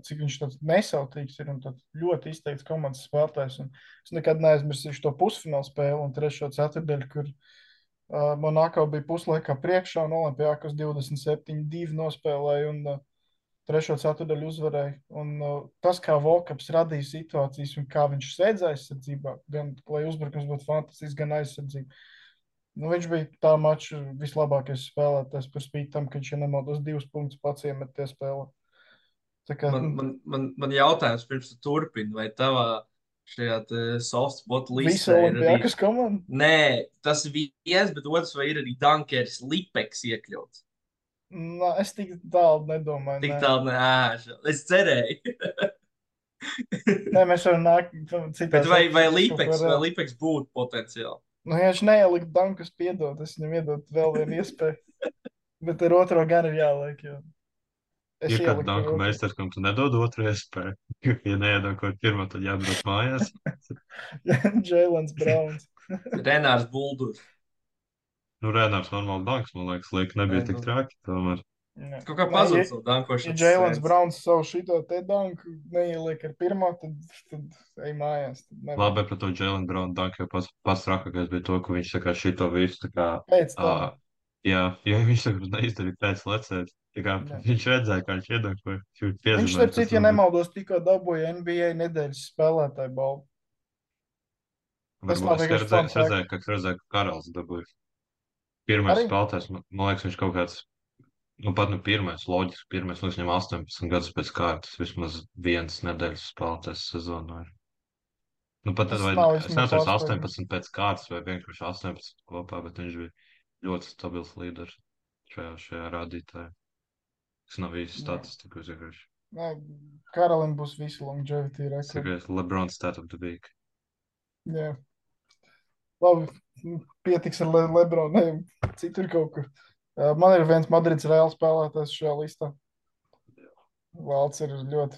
cik viņš tāds nesautīgs ir un ļoti izteikts komandas spēlētājs. Un es nekad neaizmirsīšu to pusfinālu spēli un 3. ceturtdaļu, kur Monako bija puslaikā priekšā un Olimpijakos 27-2 nospēlēja un 3. ceturtdaļu uzvarēja. Un tas, kā Volkaps radīja situācijas un kā viņš sēdz aizsardzībā, gan lai uzbrukums būtu fantastisks, gan aizsardzība. Nu, viņš bija tā mača vislabākais spēlētājs par spīti tam, ka viņš, ja nemaldos, 2 punktus pats iemet tie spēlē. Tā kā, Man jautājums pirms tu turpini, vai tavā šajā softspot visa listē ir arī... Olimpijakas komanda? Nē, tas viens, bet otrs vai ir arī Dunkeris Lipeks iekļauts? Es tik tālu nedomāju. Tik tālu es cerēju. Nē, mēs varam nākt Bet vai Lipeks būtu potenciāli? Nu, ja viņš neielikt dankus, piedod, es viņam iedod vēl vienu iespēju. Bet ar otro gan ir jāliek, jo es Ir kāds ieliku danku ar otro. meistars, kam tu nedod otru iespēju. Ja neiedankot pirmo, tad jābrauc mājās. Jailens Browns. Renārs Buldurs. Nu, Renārs normāli danks, man liekas, liek nebija tik traki, tomēr. Jā. Kaut kā Nē, pazudis ja- no dankošanas. Ja Jailens Browns savu šito te danku neieliek ar pirmo, tad ej mājās. Tad nevar. Labi, par to Jalen Brown danku jau pats trakākais bija to, ka viņš tā kā šito visu tā kā, Pēc tam. jā, jo viņš tā kā neizdarīja pēc lecēt. Tā kā Jā. viņš redzēja, kā viņš iedankoja. Viņš, starp citu, ja nemaldos, tikko dabūja NBA nedēļas spēlētāju balvu. Tas nav Es vienkārši redzēju, fun ka Karals dabūja. Pirmais Arī? spēlētājs, man liekas, viņš kaut kāds, pat pirmais, loģiski, pirmais, liekas, viņam 18 gadus pēc kārtas, vismaz viens nedēļas spēlētājs sezonā ir. Pat Tas vai, nav es vismaz neatceros pārsteigums. 18 pēc kārtas vai vienkārši 18 kopā, bet viņš bija ļoti stabils līderis šajā rādītājā. Tas nav īsti statistika, vienkārši. Nē, Karalim būs visu longevity Tas rekordi. ir LeBron stat of the week. Jā. Labi, pietiks ar Lebronu, citur kaut kur. Man ir viens Madrids Reāls spēlētājs šajā listā. Valds ir ļoti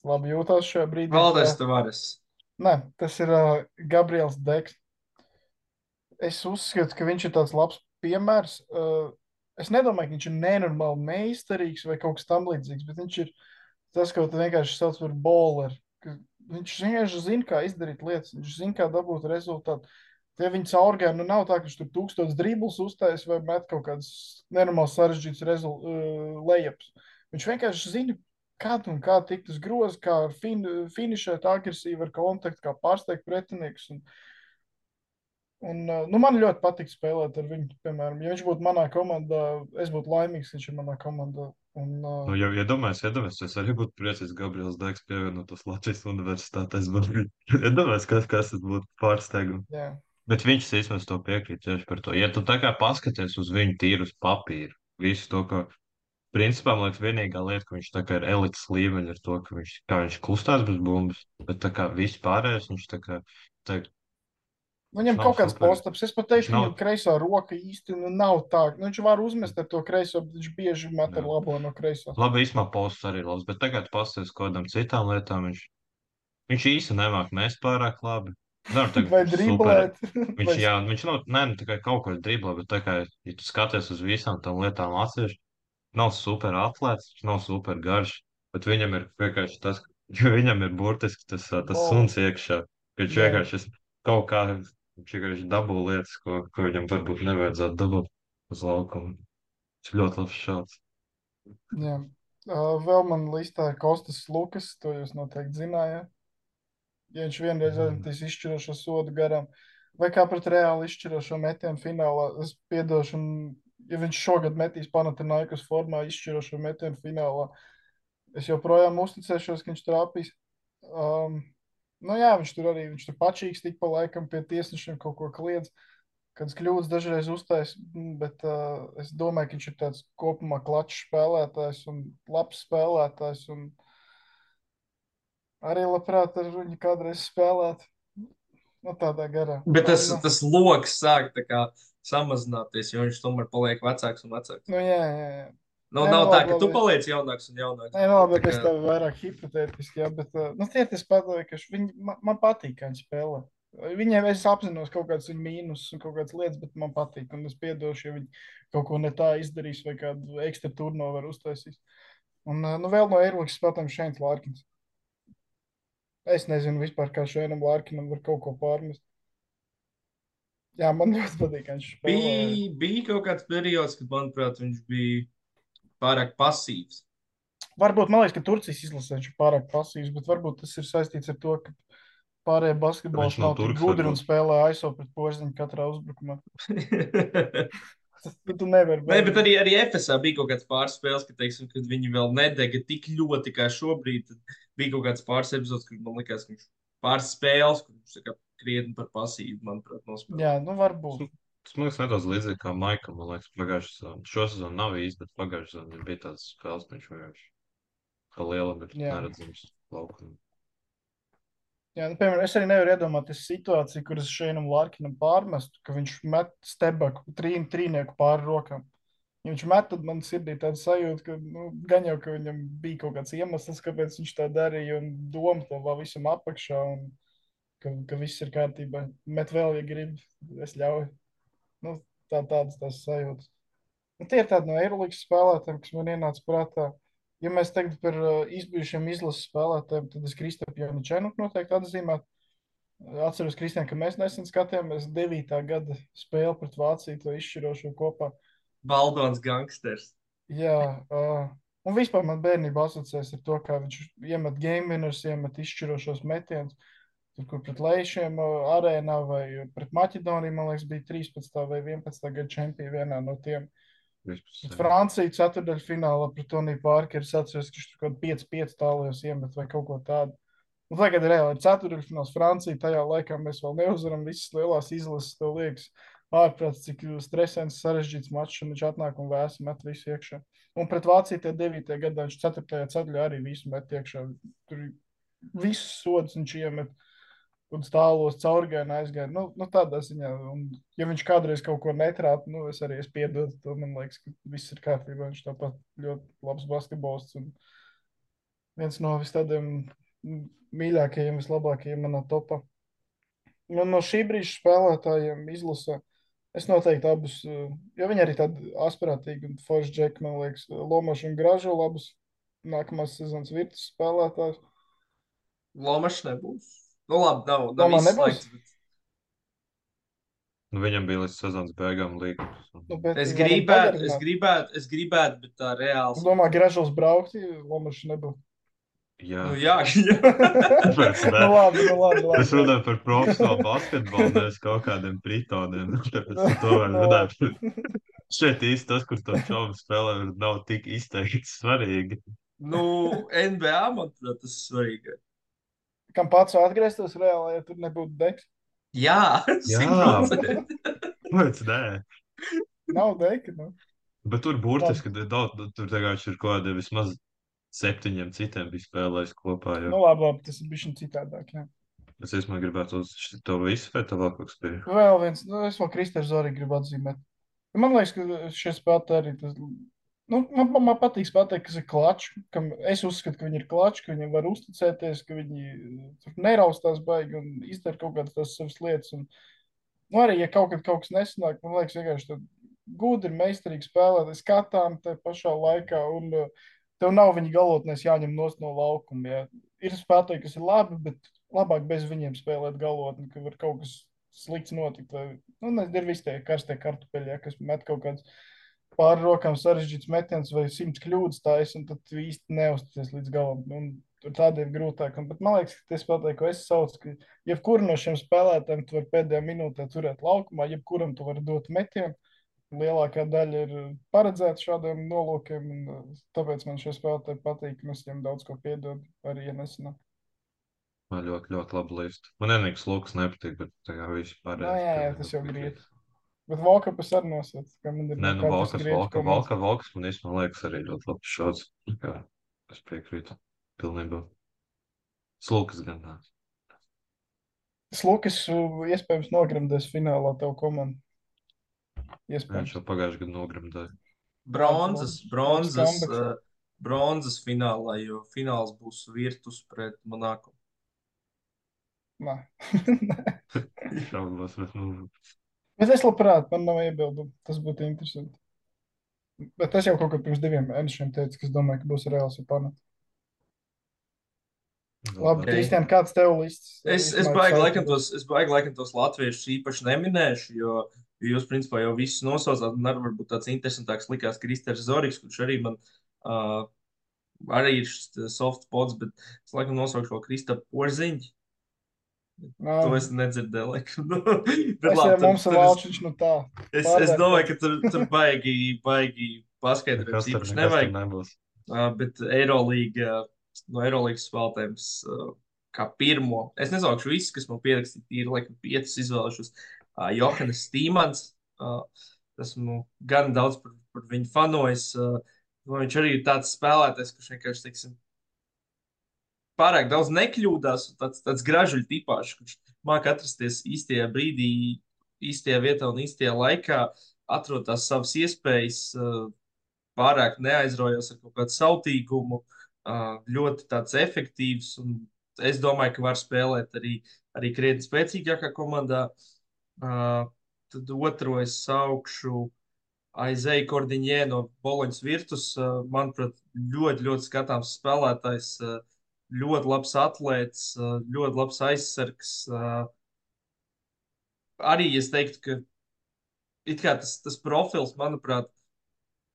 labi jūtos šajā brīdī. Valdis Tavares. Nē, tas ir Gabriels Deks. Es uzskatu, ka viņš ir tāds labs piemērs. Es nedomāju, ka viņš ir nenormāli meistarīgs vai kaut kas tam līdzīgs, bet viņš ir tas, ko tu vienkārši sauc par bowleru. Viņš vienkārši zina, kā izdarīt lietas, viņš zina, kā dabūt rezultātu. Tie viņa caurgāja, nu nav tā, ka viņš tur 1000 driblus uztais vai met kaut kādas nenormāli sarežģītas lejups. Viņš vienkārši zina, kā tikt uz grozu, kā finišēt agresīvi ar kontaktu, kā pārsteigt pretiniekus. Nu, man ļoti patīk spēlēt ar viņu. Piemēram, ja viņš būtu manā komandā, es būtu laimīgs, ka viņš ir manā komandā. Nu, ja iedomājies, es arī būtu priecīgs, Gabriels Dēks pievienotos Latvijas universitātēs. Iedomājies, kas tas būtu pārsteigums. Jā. Bet viņš īstenībā to piekrīt tieši par to. Ja tu tā kā paskaties uz viņu tīru uz papīra, visu to, ka, principā, man liekas, vienīgā lieta, ka viņš tā kā ir elites līmeņa ar to, ka viņš kustās bez bumbas, bet tā kā viss pārējais, viņš tā kā, Viņam nav kaut kāds super. postaps. Es pat teikšu, Viņš nav- viņam kreisā roka īsti nav tā. Nu, viņš var uzmest ar to kreiso, bet viņš bieži met ar Jā. labo no kreisā. Labi, īstenībā posts arī labs, bet tagad pasties kādam citām lietām, viņš īsti nemāk mest pārāk labi. Nevar teikt, Vai ka viņš driblēt. Viņš, jā, viņš nav, ne, nu, tikai kaut ko driblē, bet tā kā, ja tu skaties uz visām tām lietām atsevišķi, nav super atlēts, viņš nav super garš, bet viņam ir vienkārši tas, ka viņam ir burtiski tas suns iekšā, ka viņš Jā. vienkārši kaut kā, viņš vienkārši dabū lietas, ko viņam varbūt nevajadzētu dabūt uz laukumu. Viņš ļoti labs šāds. Jā. Vēl man listā ir Kostas Lukas, to jūs noteikti zinājāt. Ja viņš vienreiz aizmetīs izšķirošo sodu garām, vai kā pret reāli izšķirošo metienu finālā, es piedošu, ja viņš šogad metīs Panathinaikos formā izšķirošo metienu finālā, es joprojām uzticēšos, ka viņš trāpīs. Nu jā, viņš tur pačīgs tik pa laikam pie tiesnešiem kaut ko kliedz, kāds kļūdas dažreiz uztais, bet es domāju, ka viņš ir tāds kopumā klačs spēlētājs un labs spēlētājs un arī labprāt ar viņu kādreiz spēlēt. Nu, tādā garā. Bet tas loks sāk tā kā samazināties, jo viņš tomēr paliek vecāks un vecāks. Nu, jā. Nu, Nē, nav nu, tā, labi, ka tu labi. paliec jaunāks un jaunāks. Nē, nu, labi, Tā bet es kā- tev vairāk hipotētiski, jā, bet nu, tie ir tas padoju, man patīk, kā viņi spēlē. Viņiem es apzinos kaut kāds viņa mīnus un kaut kādas lietas, bet man patīk, un es piedošu, ja viņi kaut ko ne tā izdarīs vai kādu ekstra turnoveru uztaisīs. Un nu, vēl no Eiropas spēlētājiem Šeins Lārkins. Es nezinu vispār, kā Šeinam Lārkinam var kaut ko pārmest. Jā, man ļoti patīk, ka viņš spēlē. Bija kaut kāds periods, kad, manuprāt, viņš bija pārāk pasīvs. Varbūt, man liekas, ka Turcijas izlasē viņš ir pārāk pasīvs, bet varbūt tas ir saistīts ar to, ka pārējie basketbols Viņš nav nav tik turks, gudri un varbūt. spēlē aiso pret Porziņu katrā uzbrukumā. Tu nevari Nē, bet arī FSA bija kaut kāds pāris spēles, ka, teiksim, kad viņi vēl nedega tik ļoti kā šobrīd. Tad bija kaut kāds pāris epizodes, kur man likās, ka viņš pāris spēles, kur viņš tā kā krietni par pasīvu, manuprāt, nospēlē. Jā, nu varbūt. Tas man liekas nedaudz līdzīgi kā Maikam, man liekas, pagājušā sezonā. Šo sezonu nav īsti, bet pagājušā sezonā bija tāds spēles, ka viņš vienkārši kā liela, bet Jā. neredzams laukumā. Jā, nu, piemēram, es arī nevaru iedomāties situāciju, kuras Šeinam Lārkinam pārmestu, ka viņš met stebaku trīnieku pāri rokām. Ja viņš met, tad man sirdī tāda sajūta, ka nu, gan jau, ka viņam bija kaut kāds iemesls, kāpēc viņš tā darīja, un doma to vēl visam apakšā, un ka viss ir kārtībā. Met vēl, ja grib, es ļauju. Nu, tādas tās sajūtas. Nu, tie ir tādi no Eirolandes spēlētājiem, kas man ienāca prātā. Ja mēs tagad par izbijušiem izlases spēlētājiem, tad es Kristapu Janičēnu noteikti atzīmētu. Atceros, Kristian, ka mēs nesen skatījāmies 9. gada spēli pret Vāciju, to izšķirošo kopā. Baldons gangsters. Jā, un vispār man bērnība asociēs ar to, kā viņš iemet game winners, iemet izšķirošos metienus. Tur, kur pret Leišiem arēnā vai pret Maķedoniju, man liekas, bija 13. vai 11. gada čempioni vienā no tiem. Pret Franciju ceturdaļfinālā pret Toniju Parkeru es atceros, ka viņš tur kaut 5-5 tālajos iemet vai kaut ko tādu. Un tagad reāli ir ceturdaļfināls Francija, tajā laikā mēs vēl neuzvaram visas lielās izlases, tev liekas, ārprāts, cik stresains, sarežģīts mačs, un viņš atnāk un vēsi met visu iekšā. Un pret Vāciju tie 9. gadā viņš 4. ceturdaļā arī visu met iekšā. Tur visus sodus viņš iemet. Un stālos caurgājienā aizgāja. Nu, tādā ziņā. Un, ja viņš kādreiz kaut ko netrāpa, nu, es arī piedodu. To man liekas, ka viss ir kārtībā. Viņš tāpat ļoti labs basketbolists. Un Viens no tādiem mīļākajiem, vislabākajiem manā topā. No šī brīža spēlētājiem izlasē. Es noteikti abus, jo viņi arī tādi asprātīgi un forši džeki, man liekas, Lomašs un Gražu labus nākamās sezonas virtus spēlētājus. Lomašs nebūs. Nu, labi, nav Lomā nebūs? izslēgts. Bet... Nu, viņam bija līdz sezonas beigām līgums. Nu, bet Es varam pagarināt. gribētu, bet tā reāls. Es domāju, Gražos braukti, Lomašs nebūs. Jā, Nu, jā. Tāpēc ne. Nu labi. Es runāju par profesionālu basketbolu, nevis kaut kādiem pritoniem. Tāpēc to var Nu, runāt. Šeit īsti tas, kur to šovu spēlē, nav tik izteikti svarīgi. Nu, NBA, manuprāt, tas ir svarīgi. Kam pats atgrieztos reāli, ja tur nebūtu deks? Jā, Jā. 100%. Kāpēc nē? Nav deka, nu. Bet tur burtiski daudz, tur tagad ir kaut kādi vismaz 7 citiem bija spēlējis kopā. Jo. Nu labi, tas ir bišķiņ citādāk, jā. Es īstenībā gribētu uz to visu, vai tev vēl kaut kas bija? Vēl viens, nu es vēl Kristēru Zori gribu atzīmēt. Man liekas, ka šie spēlētāji arī tas, nu, man patīk pateikt, kas ir klačs, kam es uzskatu, ka viņi ir klačs, ka viņiem var uzticēties, ka viņi tur neraustās baigi un izdara kaut kādas tās savas lietas. Un, nu, arī, ja kaut kas nesanāk, man liekas, vienkārši tad gudri, meistarīgi spēlēt, skatām te pašā laikā, un tev nav viņa galotnēs jāņem nost no laukuma. Ja. Ir spēlētāji, kas ir labi, bet labāk bez viņiem spēlēt galotni, ka var kaut kas slikts notikt. Vai, nu, ir visi tie karstie kartupeļi, ja, kas met kaut kāds pāri rokām sarežģīts metiens vai 100 kļūdas taisa, un tad tu īsti neuzticies līdz galam. Un, tur tādi ir grūtāki. Bet man liekas, ka tas pateikt, ko es saucu, ka jebkuru no šiem spēlētājiem tu vari pēdējā minūtē turēt laukumā, jebkuram tu vari dot metienu. Lielākā daļa ir paredzēta šādiem nolūkiem, un tāpēc man šie spēlētāji patīk, un es viņiem daudz ko piedodu, arī, ja nesanāk. Man ļoti, ļoti labi līst. Man vienīgais Lukas nepatīk, bet tā kā viss pārējais. Nu, jā, tas jau grīt. Bet Volkapas arī nosauc, ka man ir Nē, nu Volkas Volkas man īstenībā liekas arī ļoti labs šāds. Es piekrītu pilnībā. Slukas gan nāc. Slukas iespējams nogremdēs finālā tavu komandu. Viņš jau pagājuši gadu nogremdēja. Bronzas finālā, jo fināls būs Virtus pret Monako. Nē. Šaubos, bet nu... Bet es labprāt, man nav iebildumu. Tas būtu interesanti. Bet es jau kaut kad pirms 2 mēnešiem teicu, ka es domāju, ka būs reāls Japāna. Labi, Kristian, kāds tev lists? Es baigi laikam tos latviešus īpaši neminēšu, jo jūs, principā, jau visus nosaucāt, un arī varbūt tāds interesantāks likās Kristers Zoriks, kurš arī man arī ir soft spots, bet es laikam nosaukšu vēl Kristapu Porziņu. To es nedzirdēju, laikam. Bet labi, mums ir valčiņš, nu tā. Es domāju, ka tur baigi paskaidrojums īpaši nevajag. Bet Eirolīga, no Eirolīgas spēlētājiem kā pirmo, es nesaukšu visus, kas man pierakstīja, ir laikam 5 izvēlēšos. Johannes Stīmans, esmu gan daudz par viņu fanojis. Viņš arī ir tāds spēlētājs, kurš vienkārši, teiksim, pārāk daudz nekļūdās, tāds gražuļu tipāšs, kurš māk atrasties īstajā brīdī, īstajā vietā un īstajā laikā, atrod tās savas iespējas, pārāk neaizraujas ar kaut kādu sautīgumu, ļoti tāds efektīvs, un es domāju, ka var spēlēt arī krietni spēcīgākā komandā. Tad otro es saukšu Aizēju Kordiņē no Boloņas Virtus. Manuprāt, ļoti, ļoti skatāms spēlētājs, ļoti labs atlēts, ļoti labs aizsargs. Arī es teiktu, ka it kā tas profils, manuprāt,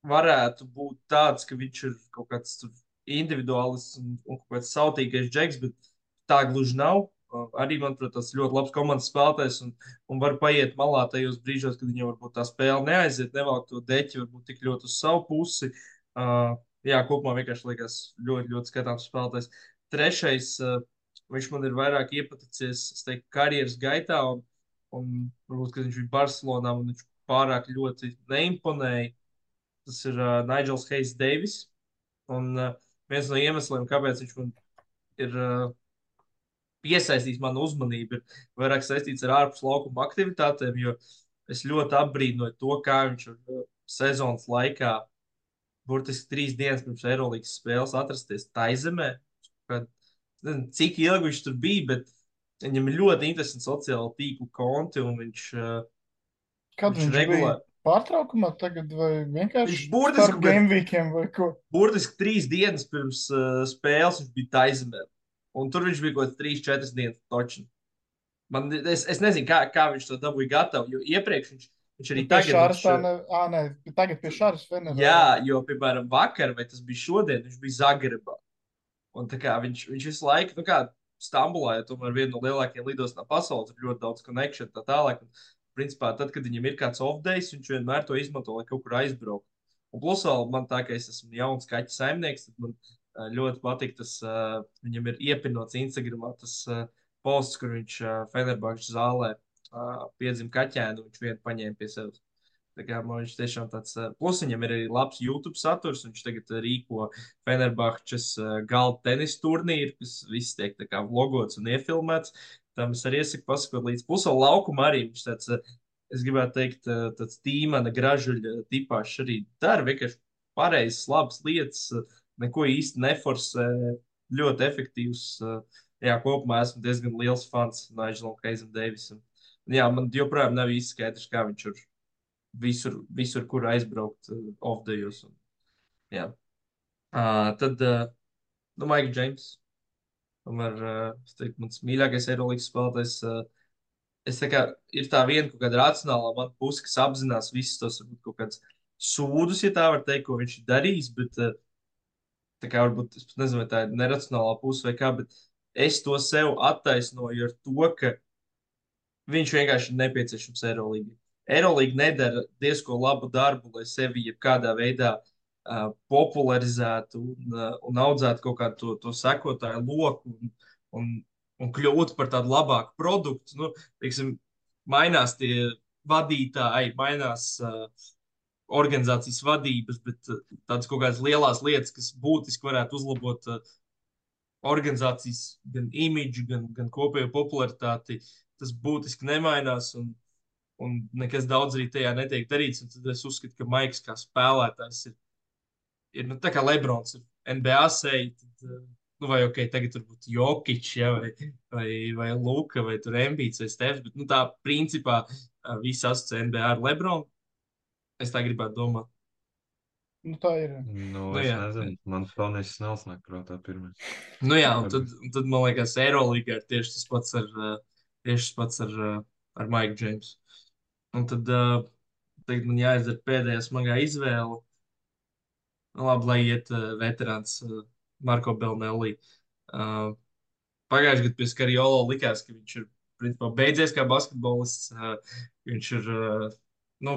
varētu būt tāds, ka viņš ir kaut kāds individuālists un kaut kāds sautīgais džeks, bet tā gluži nav. Arī, manuprāt, tas ļoti labs komandas spēlētājs un var paiet malā tajos brīžos, kad viņam varbūt tā spēle neaiziet, nevelk to deķi, varbūt tik ļoti uz savu pusi. Jā, kopumā vienkārši liekas ļoti, ļoti skatāms spēlētājs. Trešais, viņš man ir vairāk iepaticies, es teiktu, karjeras gaitā, un varbūt, kad viņš bija Barcelonā, un viņš pārāk ļoti neimponēja. Tas ir Nigels Hayes Davis, un viens no iemesliem, kāpēc viņš man ir piesaistījis manu uzmanību, ir vairāk saistīts ar ārpus laukuma aktivitātēm, jo es ļoti apbrīnoju to, kā viņš sezonas laikā burtiski 3 dienas pirms Eirolīgas spēles atrasties Taizemē, nezinu, cik ilgi viņš tur bija, bet viņam ir ļoti interesanti sociāli tīklu konti, un Kad viņš viņš bija regulāri. pārtraukumā tagad vai Viņš vienkārši burtiski starp game weekiem vai ko? Burtiski 3 dienas pirms spēles viņš bija Taizemē. Un tur viņš bija kaut kāds 3-4 dienas točni. Es nezinu, kā viņš to dabūja gatavu, jo iepriekš viņš arī Pie tagad. Šāras tā ne... Nē, tagad pie Šāras Fenerā. Jā, jo, piemēram, vakar, vai tas bija šodien, viņš bija Zagrebā. Un tā kā viņš visu laiku, nu kā Stambulā, ja tomēr viena no lielākajiem lidostām pasaules, ir ļoti daudz connection tā tālāk. Un, principā, tad, kad viņam ir kāds off-days, viņš vienmēr to izmanto, lai kaut kur aizbrauktu. Un plus vēl man tā, ka es esmu jauns kaķu saimnieks, tad man ļoti patīk tas, viņam ir iepinots Instagramā tas posts, kur viņš Fenerbahčes zālē piedzima kaķēnu, viņš vienu paņēma pie sevis. Tā kā man viņš tiešām tāds, plus viņam ir arī labs YouTube saturs, viņš tagad rīko Fenerbahčes galda tenisa turnīru, kas viss tiek tā kā vlogots un iefilmēts. Tam es arī iesaku pasakot līdz. Plus vēl laukuma arī viņš tāds, es gribētu teikt, tāds tīmana gražuļa tipāšs arī dara, vienkārši pareizas, labas lietas, neko īsti neforsē, ļoti efektīvs. Jā, kopumā esmu diezgan liels fans Nigelam Keizam Deivisam. Jā, man joprojām nav īsti skaidrs, kā viņš ir visur kur aizbraukt off-dayos. Jā. Tad, Maikls Džeims. Tomēr, es teiktu, mans mīļākais Eirolandes spēlētājs. Es tā kā ir tā viena kaut kāda racionālā man puse, kas apzinās visus tos kaut kādus sūdus, ja tā var teikt, ko viņš ir darījis, bet tā kā varbūt, es pat nezinu, vai tā ir neracionālā puse vai kā, bet es to sev attaisnoju ar to, ka viņš vienkārši ir nepieciešams Eirolandā. Eirolandā nedara diezko labu darbu, lai sevi jebkādā veidā popularizētu un audzētu kaut kādu to sekotāju loku un kļūtu par tādu labāku produktu. Nu, teiksim, mainās tie vadītāji, mainās organizācijas vadības, bet tādas kaut kādas lielas lietas, kas būtiski varētu uzlabot organizācijas gan imidžu, gan kopējo popularitāti, tas būtiski nemainās. Un nekas daudz arī tajā netiek darīts. Tad es uzskatu, ka Maiks kā spēlētājs ir nu, tā kā Lebrons ir NBA seja. Nu, vai ok, tagad tur būtu Jokic, ja, vai Luka, vai tur Embīts, vai Stefs. Bet nu, tā principā viss asociē NBA ar Lebronu. Es tā gribētu domāt. Nu, tā ir. Nu, Nu, es jā. nezinu, man Fonijs Snells nāk prātā pirmais. Nu jā, un tad man liekas, Eirolandā ir tieši tas pats ar Maiku Džeimsu. Un tad tagad man jāizdara pēdējā smagā izvēle. Nu, labi, lai iet veterāns Marko Belnelli. Pagājušajā gadā pie Skariolo likās, ka viņš ir principā beidzies kā basketbolists. Viņš ir, nu,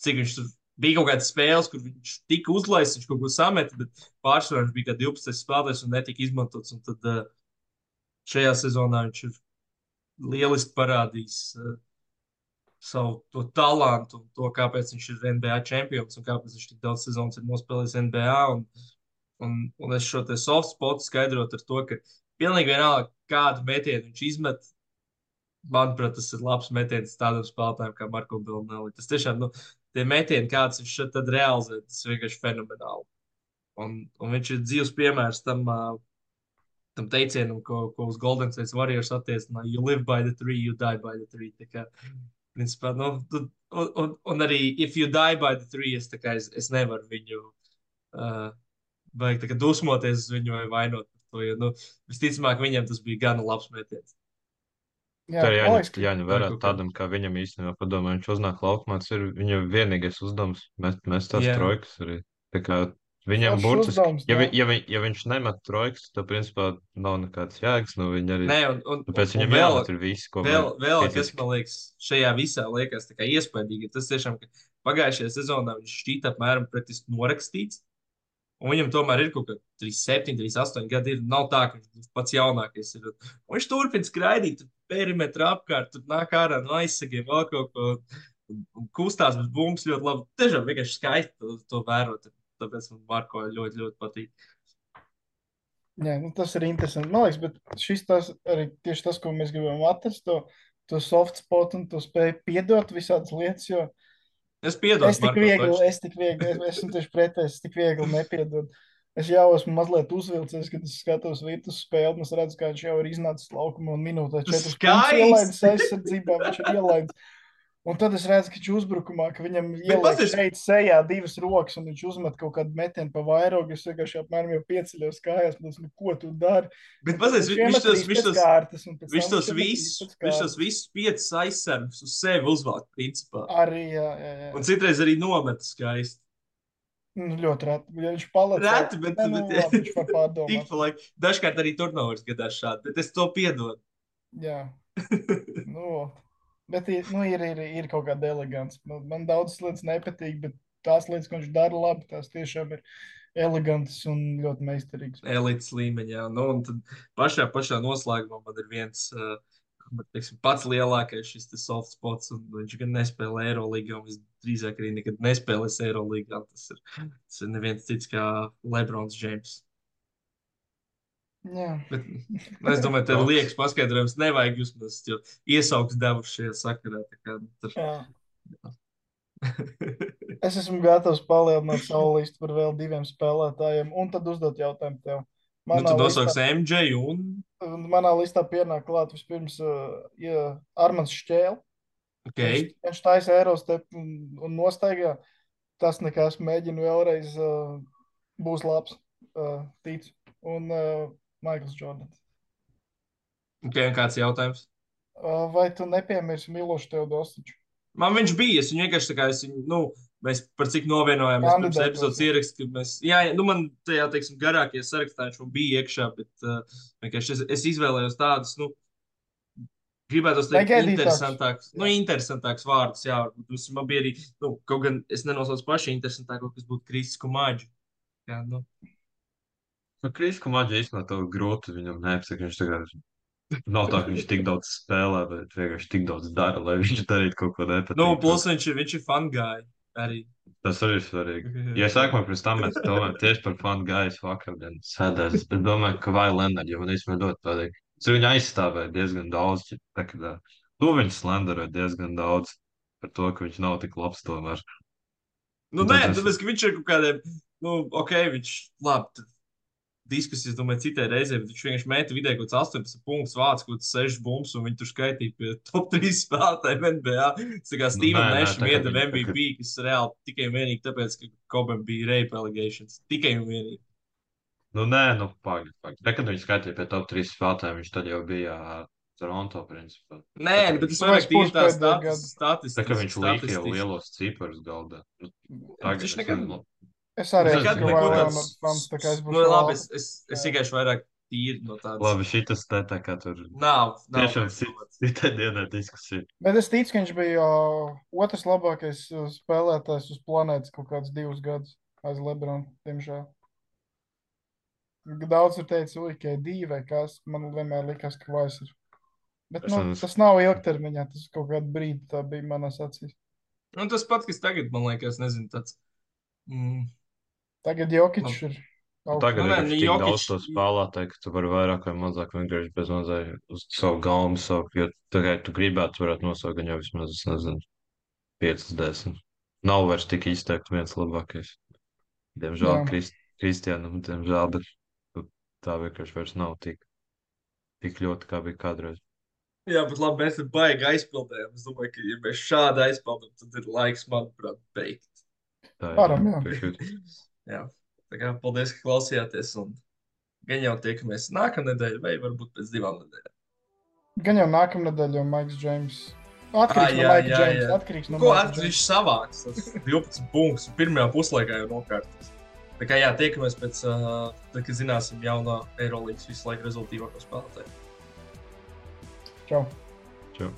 cik viņš tur bija kaut kādas spēles, kur viņš tika uzlaists, viņš kaut ko sameta, bet pārsvarā viņš bija kā 12 spēlētājs un netika izmantots. Un tad šajā sezonā viņš ir lieliski parādījis savu to talantu un to, kāpēc viņš ir NBA čempions un kāpēc viņš tik daudz sezonas ir nospēlējis NBA. Un es šo te soft spotu skaidrotu ar to, ka pilnīgi vienalga, kādu metienu viņš izmet, manuprāt, tas ir labs metiens tādam spēlētājam kā Marko Belnelli. Tas tiešām, nu, tie metieni, kāds viņš šeit tad realizē, tas ir vienkārši fenomenāli. Un viņš ir dzīves piemērs tam teicienam, ko uz Golden State Warriors attiecināja. You live by the tree, you die by the tree. Tā kā, principā, nu, un arī if you die by the tree, es nevaru viņu vajag tā kā dusmoties uz viņu vai vainot par to, jo, nu, visticamāk, viņam tas bija gana labs metiens. Jā, Tā ir man liekas, jāņem vērā tādam, kā viņam īstenībā padomā, viņš uznāk laukumā, tas ir viņa vienīgais uzdevums, mēs tās Jā. trojkas arī. Tā kā viņam Foršs burtiski, uzdevums, ja viņš nemet trojkas, tad principā nav nekāds jēgas no viņa arī. Nē, Tāpēc un viņam vēl, jāmet ir visi, ko vēl kas man liekas šajā visā liekas tā kā iespaidīgi, tas tiešām, ka pagājušajā sezonā viņš šķīta apmēram praktiski norakstīts, un viņam tomēr ir kaut kā 37, 38 gadi, nav tā, ka viņš pats jaunākais ir. Un viņš turpina skraidīt, perimetrā apkārt, tur nāk ārā no aizsegiem, vēl kaut ko, un kustās bez bumbas ļoti labi. Tiešām vienkārši skaisti to vērot, tāpēc man Marko ļoti, ļoti patīk. Jā, nu, tas ir interesanti. Man liekas, bet šis tas arī tieši tas, ko mēs gribam atrast, to soft spot un to spēju piedot visādas lietas, jo Es piedodu es tik Marko viegli, taču. es esmu tieši pretējs, es tik viegli nepiedodu. Es jau esmu mazliet uzvilcies, kad es skatos Virtus spēli, un es redzu, kā viņš jau ir iznācis laukumā un minūtē 4 punktus ielaidis aizsardzībā, viņš ir ielaidis. Un tad es redzu, ka viņš uzbrukumā, ka viņam ieliek šeit sejā 2 rokas, un viņš uzmet kaut kādu metienu pa vairogu, es vienkārši apmēram jau pieceļos kājās, un esmu, ko tu dari? Bet pazies, viņš tos visus 5 aizsargus uz sevi uzvāk, principā. Arī, jā. Un citreiz arī nometa skaisti. Ļoti reti. Ja viņš paliec. Reti, bet viņš var pārdomāt. Dažkārt arī turnovers gadās šādi, bet es to piedodu. Jā. Bet ir kaut kāda elegants. Man daudzas lietas nepatīk, bet tās lietas, ko viņš dara labi, tās tiešām ir elegantas un ļoti meistarīgas. Elites līmeņā. Un tad pašā noslēgumā man ir viens pats lielākais šis soft spots, un viņš gan nespēlē Eirolīgā, un visdrīzāk arī nekad nespēlēs Eirolīgā. Tas ir neviens cits kā Lebrons Džeims. Jā. Bet, es domāju, tev liekas paskaidrojums nevajag uzmest, jo iesauks devuši šajā sakarā. Es esmu gatavs palielināt savu listu par vēl 2 spēlētājiem, un tad uzdot jautājumu tev. Tu nosauks MJ un? Manā listā pienāk klāt vispirms Armans Šķēle. Okay. Viņš taisa Eurostep un nostaigā. Tas nekas, mēģinu vēlreiz, būs labs, ticu. Un Maikls Jordans. Okay, un kāds jautājums? Vai tu nepiemirsi Milošu Teodosiču? Man viņš bija, es viņu vienkārši tā kā mēs par cik novienojāmies pirms epizodes ierakstu, ka man tajā, teiksim, garākie sarakstā viņš bija iekšā, bet vienkārši es izvēlējos tādus, gribētos teikt interesantāks vārdus, jā, man bija arī, kaut gan es nenosaucu paši interesantāko, kas būtu Kristis Kumāģi. Jā, Kristis Kumāģi īstenībā to grūti viņam neapsaka, viņš tagad nav tā, ka viņš tik daudz spēlē, bet vienkārši tik daudz dara, lai viņš darītu kaut ko nepatīk. Plus viņš ir fun guy arī. Tas arī ir svarīgi. Ja sākumā pirms tam mēs domājam tieši par fun guys vakardien sēdēs, bet domāju, ka vai Leonard, jo man īstenībā ļoti patīk. Es viņu aizstāvēju diezgan daudz, to viņš slenderēja diezgan daudz par to, ka viņš nav tik labs tomēr. Tāpēc, ka viņš ir kaut kādiem, viņš labi, diskusijas, domāju, citai reizē, bet viņš vienkārši mēta vidēji kaut kāds 18 punktus, vāc kaut kāds 6 bumbas, un viņi tur skaitīja pie top 3 spēlētājiem NBA. Tas tā kā Steven Nasham iedeva MVP, kas reāli tikai un vienīgi tāpēc, ka Kobam bija rape allegations. Tikai un vienīgi. Pagaid. Kad viņi skaitīja pie top 3 spēlētājiem, viņš tad jau bija Toronto, principā. Bet tas vairāk tīri tā statistika. Tā kā viņš līka jau lielos ciparus galdā. Viņš nekad... Es arī esmu fans, tā kā es būšu labi. Es vienkārši vairāk tīri no tādas. Labi, šitas te tā kā tur. Nav. Tiešām citai dienā diskusija. Bet es ticu, ka viņš bija otrs labākais spēlētājs uz planētas kaut kādus 2 gadus aiz Lebronu, diemžēl. Daudz ir teicis, ka divi vai kas, man vienmēr likās, ka vairs ir. Bet tas nav ilgtermiņā, tas kaut kādu brīdi tā bija manās acīs. Tas pats, kas tagad, man liekas, nezinu, tāds... Tagad Jokičs ir Tagad ir tik daudz to spēlētāju, ka tu vari vairāk vai mazāk vienkārši bez mazai uz savu galmu saukt, jo tagad tu gribētu, varētu nosaukt gan jau vismaz, es nezinu, 5-10. Nav vairs tik izteikti viens labākais. Diemžēl Kristiānam, diemžēl, bet tā vienkārši vairs nav tik ļoti, kā bija kādreiz. Jā, bet labi, mēs baigi aizpildējām. Es domāju, ka ja mēs šādi aizpildām, tad ir laiks, manuprāt, beigt. Varam, jā. Tā kā paldies, ka klausījāties, un gan jau tiekamies nākamnedēļ, vai varbūt pēc 2 nedēļām. Gan jau nākamnedēļ, jo Maiks Džeims atkarīgs no Maika Džeimsa. Atkarīgs no Maika Džeimsa. Viņš savāks, tas 12 punktus, pirmajā puslaikā jau nokārtos. Tā kā jā, tiekamies pēc, tad, kad zināsim jauno Eirolīgas visu laiku rezultīvāko spēlētāju. Čau. Čau.